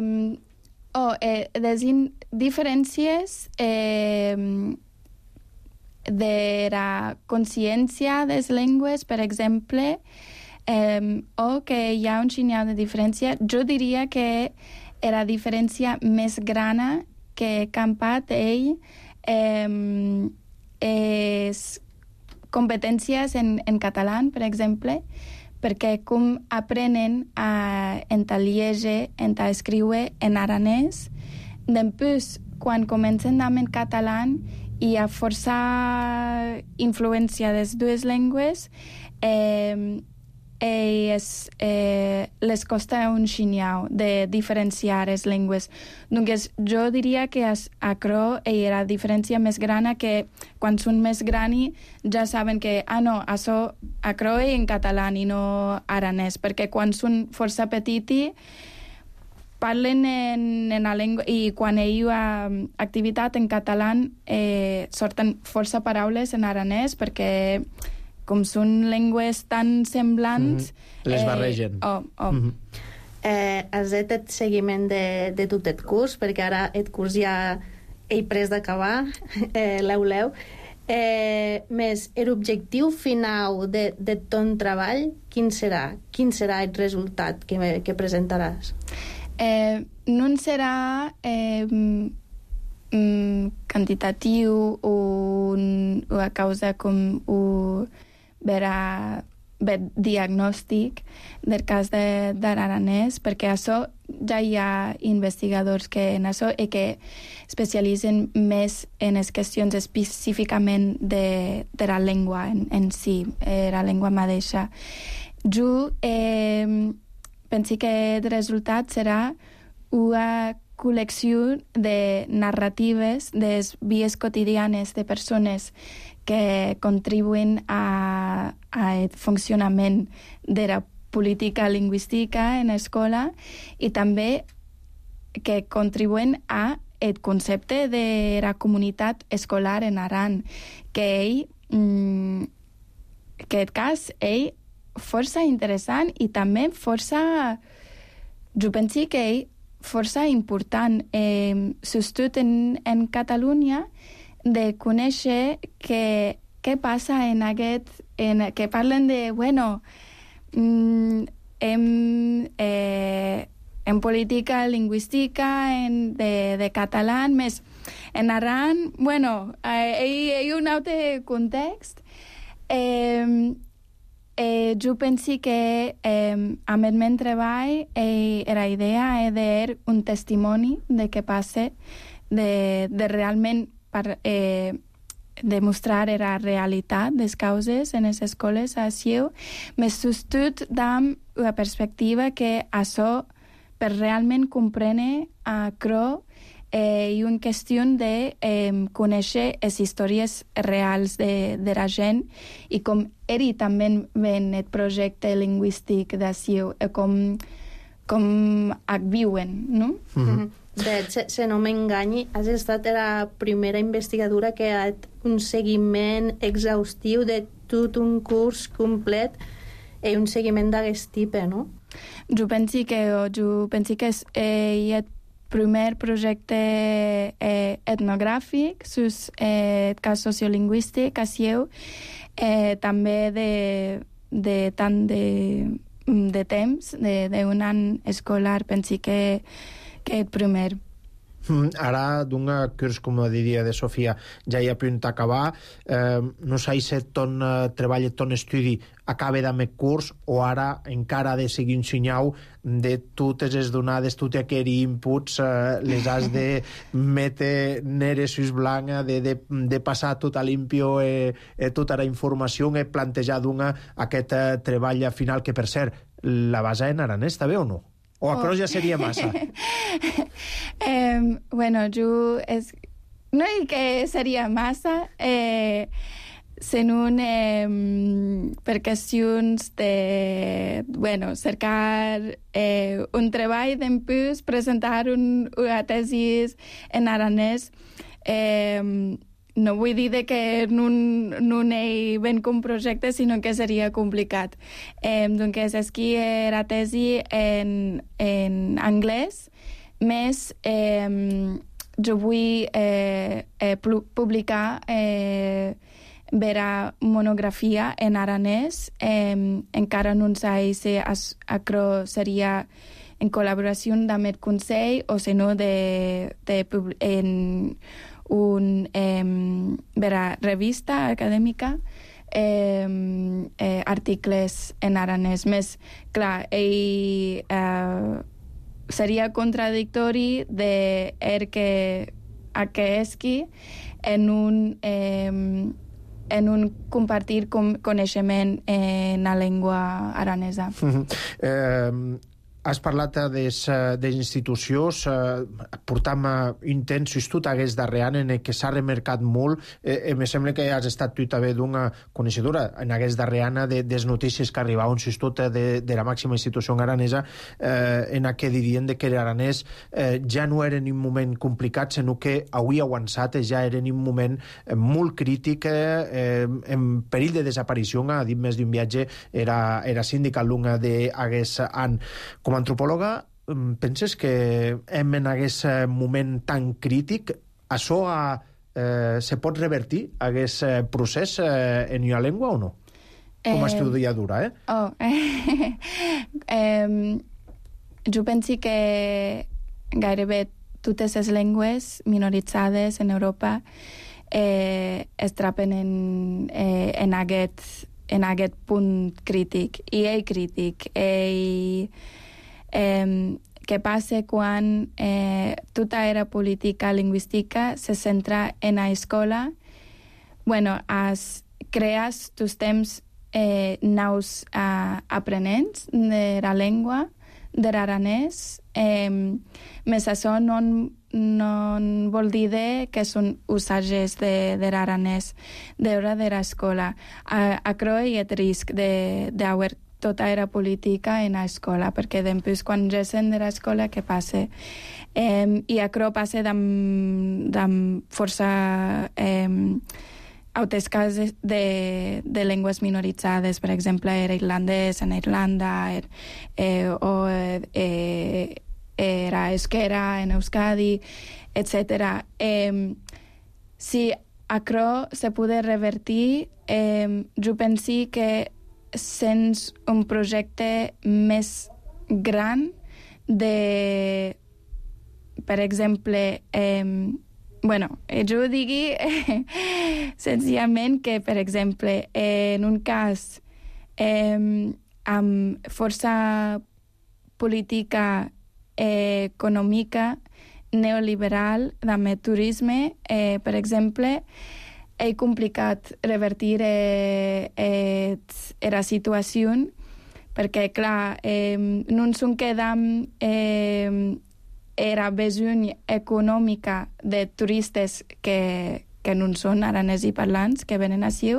Speaker 8: oh, eh, les diferències eh, de la consciència de les llengües, per exemple, eh, o que hi ha un xinyau de diferència, jo diria que la diferència més gran que he campat ell eh, és competències en, en català, per exemple, perquè com aprenen a entalieger, a escriure en aranès, després, quan comencen amb en català, hi ha força influència de les dues llengües, eh, es, eh, les costa un xinyau de diferenciar les llengües. Doncs jo diria que a Cro hi ha la diferència més gran, que quan són més grans ja saben que, ah no, això a Cro i en català i no aranès, perquè quan són força petits parlen en, en la llengua, i quan hi ha activitat en català eh, sorten força paraules en aranès, perquè com són llengües tan semblants...
Speaker 1: Mm-hmm. Les barregen.
Speaker 8: Eh, oh, oh.
Speaker 1: Mm-hmm.
Speaker 6: eh, has fet el seguiment de, de tot el curs, perquè ara el curs ja he pres d'acabar, eh, l'euleu. Eh, més, l'objectiu final de, de ton treball, quin serà? Quin serà el resultat que, que presentaràs?
Speaker 8: Eh, no serà eh, mm, quantitatiu o una causa com un vera, ver diagnòstic del cas de, de l'aranès, perquè això ja hi ha investigadors que en això i que especialitzen més en les qüestions específicament de, de la llengua en, en si, eh, la llengua mateixa. Jo eh, penso que el resultat serà una col·lecció de narratives de les vies quotidianes de persones que contribuïn a, a el funcionament de la política lingüística en l'escola i també que contribuïn a el concepte de la comunitat escolar en Aran, que ell, mm, que el cas, ell, força interessant i també força, jo penso que ell, força important, eh, sobretot en, en Catalunya, de conèixer que, què passa en aquest... En, que parlen de, bueno, mm, en, eh, en política lingüística en, de, de català, més en Aran, bueno, eh, hi ha un altre context. Eh, eh, jo penso que eh, amb el meu treball eh, la idea és de un testimoni de què passa, de, de realment per eh, demostrar la realitat de les causes en les escoles a Sieu, més sobretot amb la perspectiva que això, per realment comprendre a Cro, eh, i una qüestió de eh, conèixer les històries reals de, de la gent i com ell també ven el projecte lingüístic d'ací, eh, com, com ac viuen, no?
Speaker 6: Mm-hmm. De hecho, si no m'enganyi, has estat la primera investigadora que ha fet un seguiment exhaustiu de tot un curs complet i un seguiment d'aquest tipus, no?
Speaker 8: Jo penso que, jo penso que és eh, el primer projecte eh, etnogràfic sus eh, el cas sociolingüístic a Sieu, eh, també de, de tant de, de temps, d'un any escolar, penso que que el primer.
Speaker 1: Ara, d'un curs, com diria de Sofia, ja hi ha punt acabar, eh, no sé si ton eh, treball, ton estudi acaba d'ame curs o ara encara ha de seguir un senyau de totes les donades, tots aquests inputs, eh, les has de metre nere sus blanca, de, de, de passar tot a limpio eh, eh, tota la informació i plantejar d'un aquest eh, treball final, que per cert, la base en aranès, també o no? O a croix ja seria massa?
Speaker 8: eh, bueno, jo... És... No dic que seria massa, eh, sent un eh, per qüestions de... Bueno, cercar eh, un treball d'empús, presentar un, una tesis en aranès. Eh, no vull dir de que no, no n'hi ben com projecte, sinó que seria complicat. Eh, doncs aquí la tesi en, en anglès, més eh, jo vull eh, eh, publicar eh, vera monografia en aranès, eh, encara no sé si això seria en col·laboració amb el Consell o si no de, de, en una eh, vera revista acadèmica, eh, eh, articles en aranès. Més, clar, ell, eh, seria contradictori de er que aquesqui en un, eh, en un compartir com, coneixement en la llengua aranesa.
Speaker 1: Mm-hmm. eh... Has parlat d'institucions, eh, portam intensos tot aquest darrer any en què s'ha remarcat molt. Eh, me sembla que has estat tu també d'una coneixedora en aquest darrer any de les notícies que arribaven tot de, de la màxima institució aranesa, eh, en què dirien que l'aranès eh, ja no era en un moment complicat, sinó que avui avançat ja era en un moment molt crític, eh, en perill de desaparició. Ha dit més d'un viatge, era, era síndica l'una d'aquest any. Com a antropòloga, penses que hem en aquest moment tan crític, això eh, se pot revertir, aquest procés eh, en una llengua o no? Com a estudiadora, eh?
Speaker 8: Oh, eh, jo penso que gairebé totes les llengües minoritzades en Europa eh, es trapen en, eh, en, aquest, en aquest punt crític. I ell crític, ell... Eh, què passa quan eh, tota era política lingüística se centra en la escola? Bueno, as, creas tus temps eh, nous uh, aprenents de la llengua, de l'aranès. Eh, més això no, no vol dir de que són usatges de, de l'aranès d'hora de l'escola. A, a croi el risc d'haver tota era política en l'escola, perquè després quan gessen de l'escola, què passa? Eh, I això passa amb força eh, altres casos de, de llengües minoritzades, per exemple, era irlandès en Irlanda, er, eh, o eh, era euskera en Euskadi, etcètera. Eh, si això se pugui revertir, eh, jo penso que sens un projecte més gran de, per exemple, eh, bueno, jo digui eh, senzillament que, per exemple, eh, en un cas eh, amb força política eh, econòmica neoliberal amb el turisme, eh, per exemple, és complicat revertir eh, eh, la situació perquè, clar, eh, no ens quedam eh, era besoin econòmica de turistes que, que no són aranesi parlants, que venen així,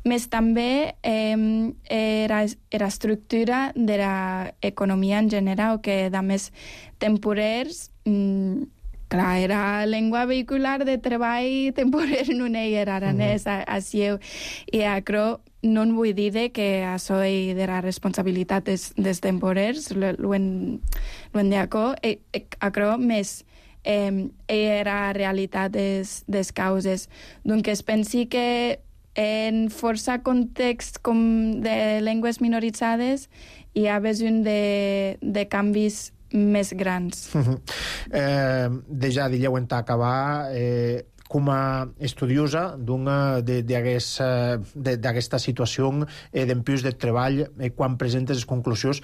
Speaker 8: més també eh, era, era estructura de l'economia en general, que de més temporers, mm, clar, era llengua vehicular de treball temporer, no hi era aranès, mm -hmm. així, i acro no en vull dir que això de la responsabilitat dels, dels temporers, ho en diaco, acro més eh, era realitat des, des causes. Doncs es pensi que en força context com de llengües minoritzades hi ha besoin de, de canvis més grans.
Speaker 1: Uh -huh. eh, Deja dilleu en acabar, eh, com a estudiosa d'aquesta situació eh, d'empús de treball, eh, quan presentes les conclusions,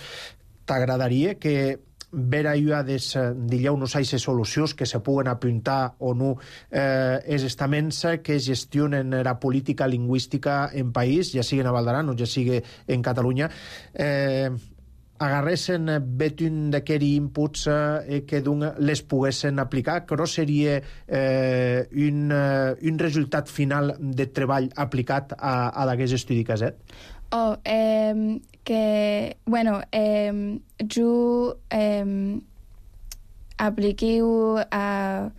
Speaker 1: t'agradaria que ver allò des, dilleu, no sé, solucions que se puguen apuntar o no eh, els estaments que gestionen la política lingüística en país, ja sigui a Val d'Aran o ja sigui en Catalunya, eh, agarressin betun d'aquests inputs eh, que les poguessin aplicar, que no seria eh, un, un resultat final de treball aplicat a, a d'aquest estudi caset?
Speaker 8: Oh, eh, que, bueno, eh, jo eh, apliquiu a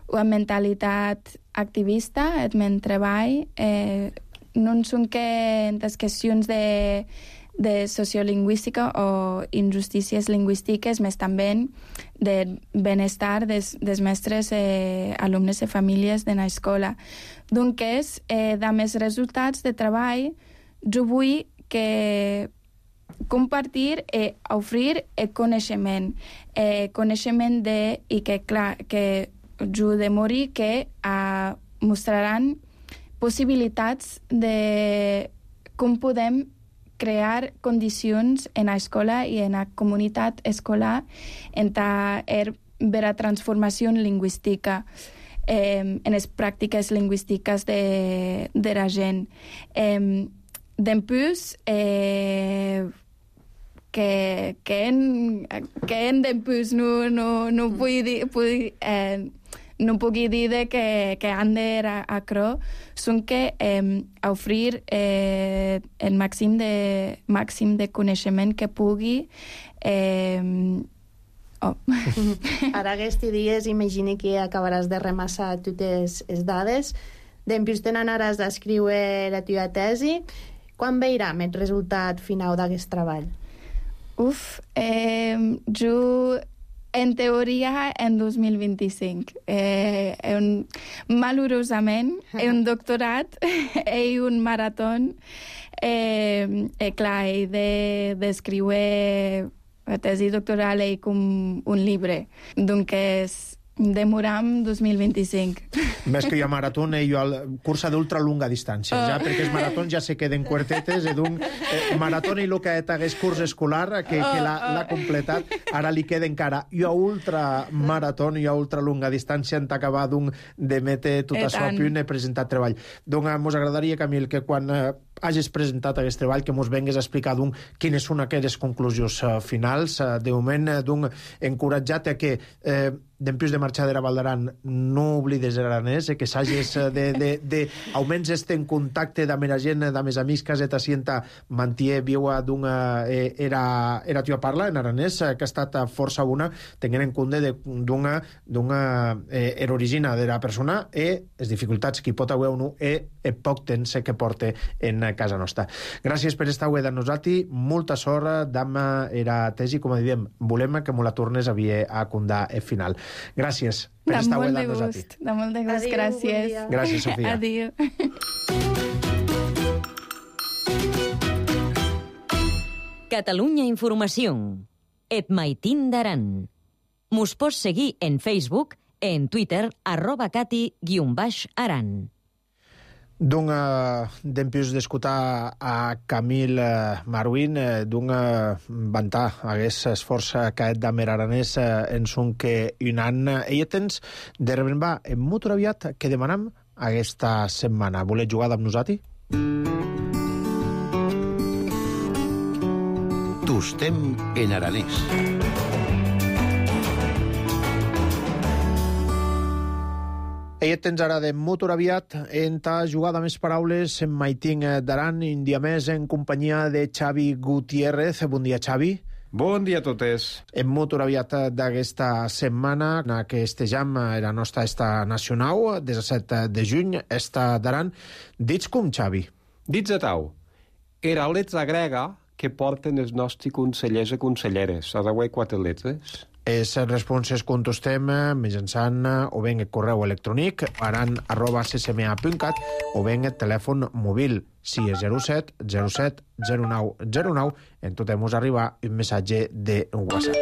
Speaker 8: una mentalitat activista, el meu treball, eh, no són que en les qüestions de de sociolingüística o injustícies lingüístiques, més també de benestar des, des mestres, eh, alumnes i famílies de l'escola. Doncs, eh, de més resultats de treball, jo vull que compartir i oferir el coneixement. Eh, coneixement de, i que, clar, que jo de morir que eh, mostraran possibilitats de com podem crear condicions en l'escola i en la comunitat escolar en ta er, ver a transformació lingüística, eh, en les pràctiques lingüístiques de, de la gent. Eh, D'empús, eh, que, que en, que en d'empús no, no, no vull dir... Vull, eh, no puc dir de que, que han d'acro són que eh, oferir eh, el màxim de, màxim de coneixement que pugui. Eh, oh.
Speaker 6: Ara aquests dies imagine que acabaràs de remassar totes les dades. Després te n'anaràs a escriure la teva tesi. Quan veurem el resultat final d'aquest treball?
Speaker 8: Uf, eh, jo... En teoria, en dos mil vint-i-cinc. Eh, un, malurosament, he un doctorat, he un marató, eh, eh, clar, he d'escriure la tesi doctoral i com un llibre. Donc, demoram dos mil vint-i-cinc.
Speaker 1: Més que jo a marató, jo al cursa d'ultralunga distància, oh. ja, perquè els maratons ja se queden quartetes, i d'un eh, marató i el que hagués curs escolar, que, que l'ha completat, ara li queda encara. Jo a ultramarató i a ultralunga distància en t'acabar d'un de mete tot això a punt, he presentat treball. Donc, mos agradaria, Camil, que quan eh, hagis presentat aquest treball, que mos vengues a explicar d'un quines són aquelles conclusions uh, finals. Uh, de moment, uh, d'un encoratjat a que eh, d'empús de marxar de la Val d'Aran no oblides l'aranès, eh, que s'hagis uh, de, de, de almenys este en contacte amb la gent, amb els amics que has sienta mantier viua d'una eh, era, era tua parla en aranès, eh, que ha estat força bona, tenint en compte d'una d'una eh, era origina de la persona i les dificultats que hi pot haver uno i el poc temps que porta en casa nostra. Gràcies per estar avui amb nosaltres, molta sort d'amb era tesi, com diem, volem que me la tornes a vir a condar el final. Gràcies per estar avui amb nosaltres.
Speaker 8: De molt de gust, gràcies.
Speaker 1: Bon gràcies, Sofia.
Speaker 8: Adéu.
Speaker 2: Catalunya Informació. Et maitin d'Aran. Mos pots seguir en Facebook, en Twitter, arroba cati guion baix aran.
Speaker 1: D'un uh, d'empús d'escoltar a Camil uh, Marwin, uh, d'un uh, vantar hagués esforç caet d'amer aranès uh, en son que un any. Ella tens de rebrembar en molt aviat que demanam aquesta setmana. Voleu jugar amb nosaltres?
Speaker 3: Tostem en aranès.
Speaker 1: Ella tens ara de motor aviat en ta jugada més paraules en Maitín d'Aran, un dia més en companyia de Xavi Gutiérrez. Bon dia, Xavi.
Speaker 9: Bon dia a totes.
Speaker 1: En motor aviat d'aquesta setmana, en que estejam la nostra esta nacional, disset de juny, esta d'Aran. Dits com, Xavi?
Speaker 9: Dits a tau. Era letra grega que porten els nostres consellers i conselleres. Has de quatre lletres?
Speaker 1: Les responses contestem mitjançant o bé el correu electrònic aran arroba c c m a punt cat o bé el telèfon mòbil sis zero set zero set zero nou zero nou. En tot mos arriba un missatge de WhatsApp.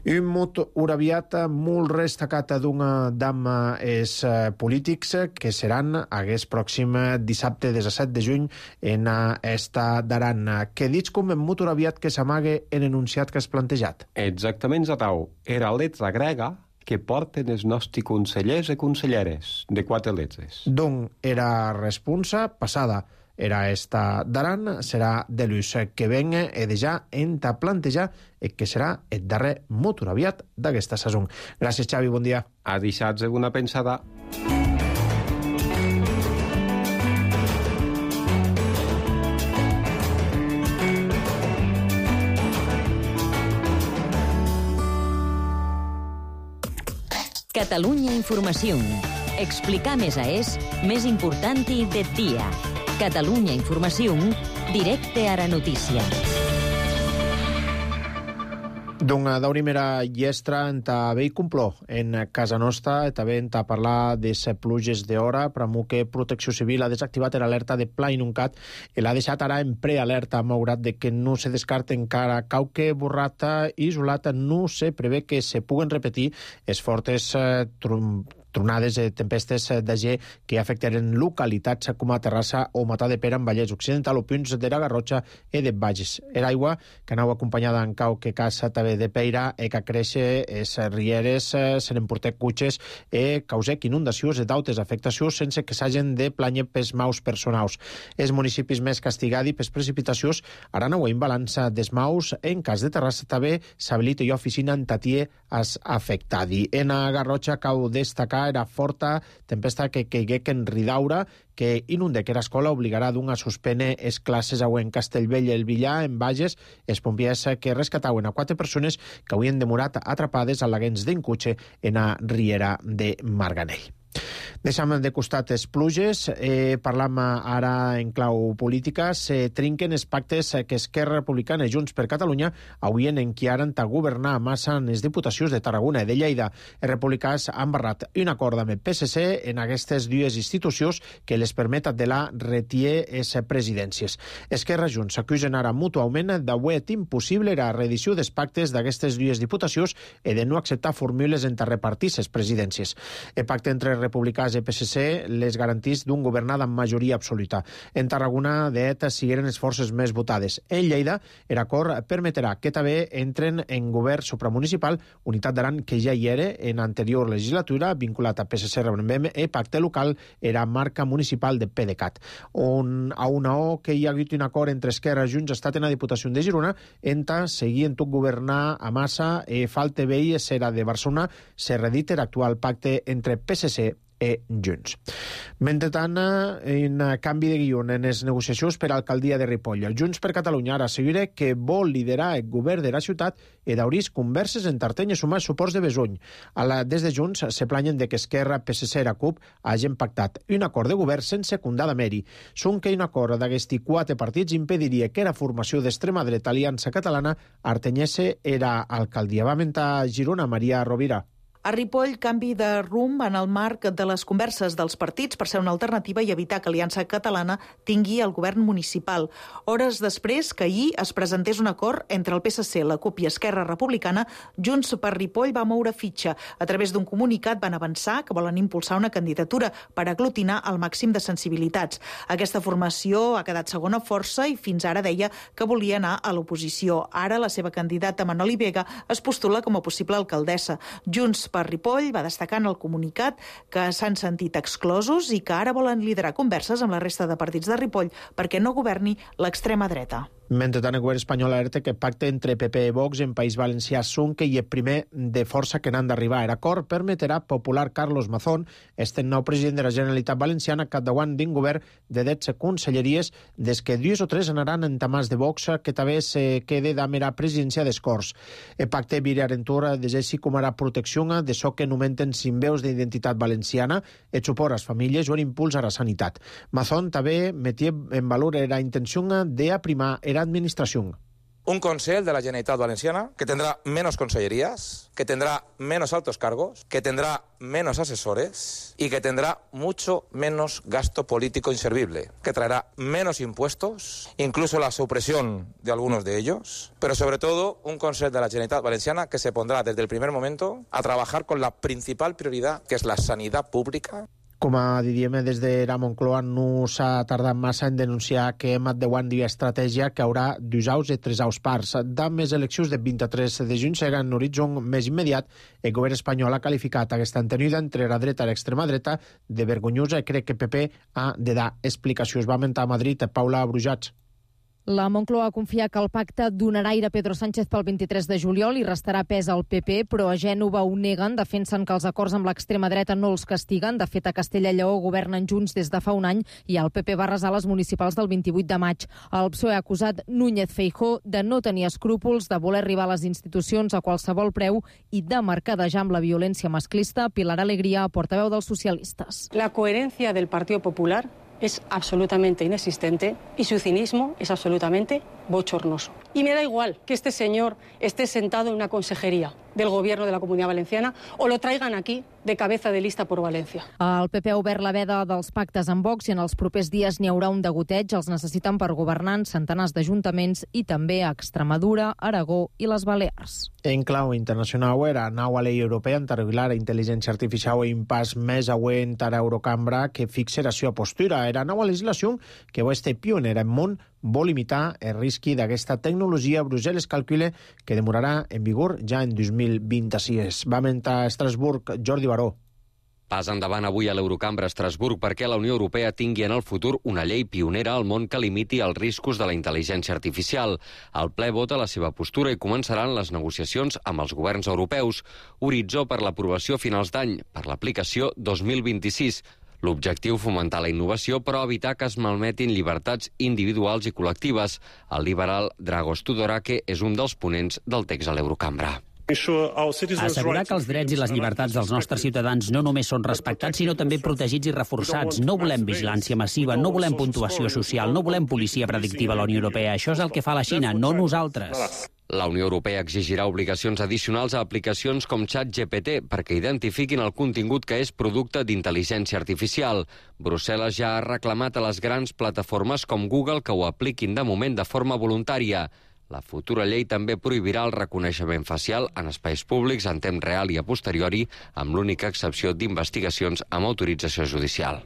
Speaker 1: Un mot aviat molt destacat d'una dama és polítics que seran aquest pròxim dissabte disset de juny en esta d'Aran. Què dits com en mot aviat que s'amague en enunciat que has plantejat?
Speaker 9: Exactament, Zatau. Era letra grega que porten els nostres consellers i conselleres, de quatre lletres.
Speaker 1: Doncs era responsa passada. Era esta d'Aran, serà de l'ús que venga e de ja enta plantejar el que serà el darrer motor aviat d'aquesta sason. Gràcies, Xavi, bon dia.
Speaker 9: A deixar-se una pensada.
Speaker 2: Catalunya Informació. Explicar més a és més important i de dia. Catalunya Informació, directe a la notícia.
Speaker 1: Doncs d'una llestra en ta vell compló en casa nostra, també en ta parlar de les pluges d'hora, però que Protecció Civil ha desactivat l'alerta de pla inundat i l'ha deixat ara en prealerta, malgrat de que no se descarta encara qualque borrata isolada, no se prevé que se puguen repetir les fortes eh, trom tronades i tempestes de ge que afectaran localitats com a Terrassa o Matadepera en Vallès Occidental o punts de la Garrotxa i de Bages. Era aigua que anava acompanyada en cau que casa també de Peira e que créixer es rieres, se n'emportec cutxes e causec inundacions i d'autes afectacions sense que s'hagin de planyar pels maus personals. Els municipis més castigats pels precipitacions ara no ho en balança des maus. En cas de Terrassa també s'habilita i oficina en Tatier as afectadi. En a Garrotxa cau destacar era forta tempesta que caiguec en Ridaura, que inundec era escola obligarà d'un a suspendre les classes en Castellbell i el Villar, en Bages, els pompiers que rescataven a quatre persones que havien demorat atrapades a laguens d'en cotxe en a Riera de Marganell. Deixem de costat les pluges, eh, parlam ara en clau política. Se trinquen els pactes que Esquerra Republicana i Junts per Catalunya havien enquiaren a governar massa en les diputacions de Tarragona i de Lleida. Els republicans han barrat un acord amb el P S C en aquestes dues institucions que les permet de la retier les presidències. Esquerra i Junts s'acusen ara mútuament d'haver impossible la reedició dels pactes d'aquestes dues diputacions i de no acceptar fórmules entre repartir les presidències. El pacte entre republicans i P S C les garantís d'un governat amb majoria absoluta. En Tarragona, de ETA, sigueren les forces més votades. En Lleida, l'acord permetrà que també entren en govern supramunicipal, unitat d'Aran que ja hi era en anterior legislatura, vinculat a P S C, rebrem, i pacte local era marca municipal de PDeCAT. On, a una O que hi ha hagut un acord entre Esquerra i Junts ha estat en la Diputació de Girona, enta seguint tot governar a massa e falta veí serà de Barcelona, se redita l'actual pacte entre P S C i Junts. Mentrestant, en canvi de guió en les negociacions per a l'alcaldia de Ripoll. Junts per Catalunya ara assegura que vol liderar el govern de la ciutat i d'obrir converses en Tarteny i sumar suports de Besuny. La, des de Junts se planyen de que Esquerra, P S C i la CUP hagin pactat un acord de govern sense secundar de mèrit. Són que un acord d'aquests quatre partits impediria que la formació d'extrema dreta Aliança Catalana artenyesse era alcaldia. Va mentar Girona, Maria Rovira.
Speaker 10: A Ripoll, canvi de rumb en el marc de les converses dels partits per ser una alternativa i evitar que Aliança Catalana tingui el govern municipal. Hores després que ahir es presentés un acord entre el P S C, la CUP i Esquerra Republicana, Junts per Ripoll va moure fitxa. A través d'un comunicat van avançar que volen impulsar una candidatura per aglutinar el màxim de sensibilitats. Aquesta formació ha quedat segona força i fins ara deia que volia anar a l'oposició. Ara la seva candidata Manoli Vega es postula com a possible alcaldessa. Junts per Ripoll va destacar en el comunicat que s'han sentit exclosos i que ara volen liderar converses amb la resta de partits de Ripoll perquè no governi l'extrema dreta.
Speaker 1: Mentrestant, el govern espanyol alerta que pacte entre P P i Vox en País Valencià Sunque i el primer de força que n'han d'arribar. L'acord permetrà popular Carlos Mazón, este nou president de la Generalitat Valenciana, capdavant d'un govern de dotze conselleries, des que dues o tres anaran en tamàs de Vox, que també se quede d'amera presidència d'Escorts. El pacte virarentura deseixi com ara protecció de so que nomenten cinc veus d'identitat valenciana, el suport a les famílies o l'impuls a la sanitat. Mazón també metia en valor la intenció d'aprimar la administració.
Speaker 11: Un Consell de la Generalitat Valenciana que tendrá menos consellerías, que tendrá menos altos cargos, que tendrá menos asesores y que tendrá mucho menos gasto político inservible, que traerá menos impuestos, incluso la supresión de algunos de ellos, pero sobre todo un Consell de la Generalitat Valenciana que se pondrá desde el primer momento a trabajar con la principal prioridad, que es la sanidad pública.
Speaker 1: Com a diríem, des de la Moncloa no s'ha tardat massa en denunciar que hem davant d'una estratègia que haurà dos aus i tres aus parts. Davant les eleccions del vint-i-tres de juny serà en horitzó més immediat. El govern espanyol ha qualificat aquesta entenida entre la dreta i l'extrema dreta de vergonyosa i crec que P P ha de dar explicacions. Va mentar a Madrid Paula Brujats.
Speaker 12: La Moncloa confia que el pacte donarà aire a Pedro Sánchez pel vint-i-tres de juliol i restarà pes al P P, però a Gènova ho neguen, defensen que els acords amb l'extrema dreta no els castiguen. De fet, a Castella i Lleó governen junts des de fa un any i el P P va arrasar les municipals del vint-i-vuit de maig. El P S O E ha acusat Núñez Feijóo de no tenir escrúpols, de voler arribar a les institucions a qualsevol preu i de mercadejar amb la violència masclista. Pilar Alegría, portaveu dels socialistes.
Speaker 13: La coherencia del Partido Popular es absolutamente inexistente y su cinismo es absolutamente bochornoso. Y me da igual que este señor esté sentado en una consejería del Gobierno de la Comunidad Valenciana o lo traigan aquí de cabeza de lista por València.
Speaker 12: El P P ha obert la veda dels pactes amb Vox i en els propers dies n'hi haurà un degoteig. Els necessiten per governar en centenars d'ajuntaments i també a Extremadura, Aragó i les Balears.
Speaker 1: En clau internacional, la nova llei europea en regular la intel·ligència artificial i un pas més auent a l'Eurocambra que fixa la seva postura. La nova legislació, que va ser pionera en món, vol limitar el risc d'aquesta tecnologia. Brussel·les calcula que demorarà en vigor ja en dos mil vint-i-sis. Va mentar a Estrasburg Jordi Baró.
Speaker 14: Pas endavant avui a l'Eurocambra a Estrasburg perquè la Unió Europea tingui en el futur una llei pionera al món que limiti els riscos de la intel·ligència artificial. El ple vota la seva postura i començaran les negociacions amb els governs europeus. Horitzó per l'aprovació a finals d'any, per l'aplicació dos mil vint-i-sis. L'objectiu, fomentar la innovació, però evitar que es malmetin llibertats individuals i col·lectives. El liberal Dragos Tudorake és un dels ponents del text a l'Eurocambra.
Speaker 15: Assegurar que els drets i les llibertats dels nostres ciutadans no només són respectats, sinó també protegits i reforçats. No volem vigilància massiva, no volem puntuació social, no volem policia predictiva a la Unió Europea. Això és el que fa la Xina, no nosaltres.
Speaker 14: La Unió Europea exigirà obligacions addicionals a aplicacions com ChatGPT perquè identifiquin el contingut que és producte d'intel·ligència artificial. Brussel·les ja ha reclamat a les grans plataformes com Google que ho apliquin de moment de forma voluntària. La futura llei també prohibirà el reconeixement facial en espais públics en temps real i a posteriori, amb l'única excepció d'investigacions amb autorització judicial.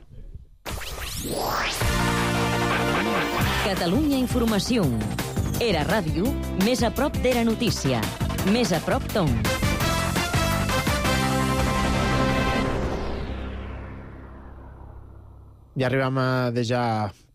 Speaker 2: Catalunya Informació. Era ràdio, més a prop d'Era Notícia. Més a prop Tom.
Speaker 1: Ja arribem a deja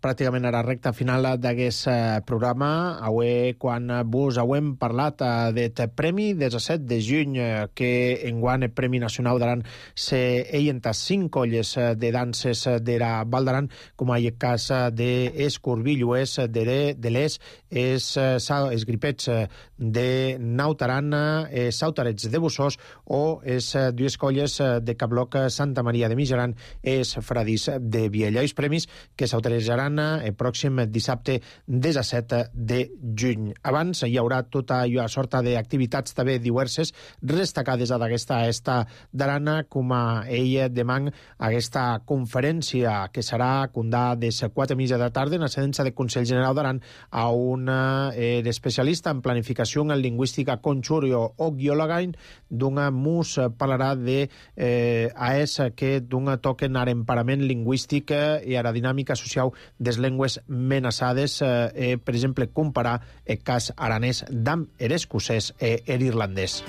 Speaker 1: pràcticament a la recta final d'aquest programa. Avui, quan vos hem parlat del premi disset de juny, que enguany el Premi Nacional d'Aran se enta cinc colles de danses de la Val d'Aran, com a el cas d'Escorbilloers, de l'Es, els gripets de Nautaran, els sautarets de Bossós o les dues colles de Cabloc, Santa Maria de Mijaran, els Fradís de Viella. Els premis que s'autoritzaran el pròxim dissabte disset de juny. Abans hi haurà tota una sorta d'activitats també diverses destacades d'aquesta esta d'Arana, com a ella demà aquesta conferència que serà condà des quatre i mitja de la tarda en la sedència del Consell General d'Aran a un eh, especialista en planificació en lingüística Conchurio Ogiolagain, d'un mus parlarà de eh, a es que d'un toquen a l'emparament lingüístic i a la dinàmica social des llengües menaçades, eh, per exemple, comparar el cas aranès d'amb l'escocès i l'irlandès.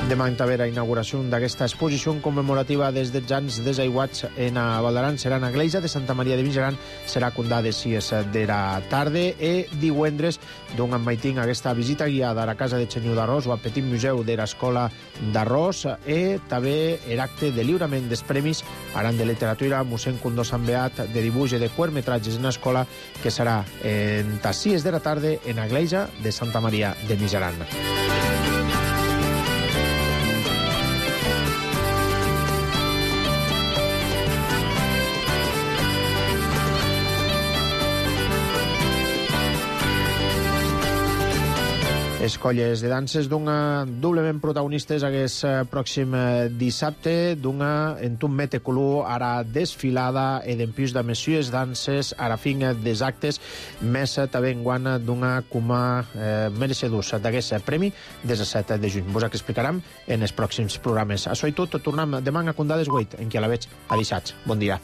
Speaker 1: De Demà en també la inauguració d'aquesta exposició commemorativa des dels anys desaiguats en a Val d'Aran serà en Agleja de Santa Maria de Mijaran, serà condà de sis de la tarda e divendres d'un maitín aquesta visita guiada a la Casa de Xenyu d'Arròs o al Petit Museu de l'Escola d'Arròs e també l'acte de lliurament dels premis Aran de Literatura, mossèn Condó Sant Beat, de dibuix i de curtmetratges en escola, que serà en les sis de la tarda en Agleja de Santa Maria de Mijaran. Les colles de danses d'una doblement protagonistes aquest pròxim dissabte, d'una en un mete color ara desfilada e d'empús de messies danses a la fin des actes, més també enguant d'una coma eh, mereixedors d'aquest premi disset de juny. Vos explicarem en els pròxims programes. Això i tot, tornem demà a Condades vuit, en què la veig a dissats. Bon dia.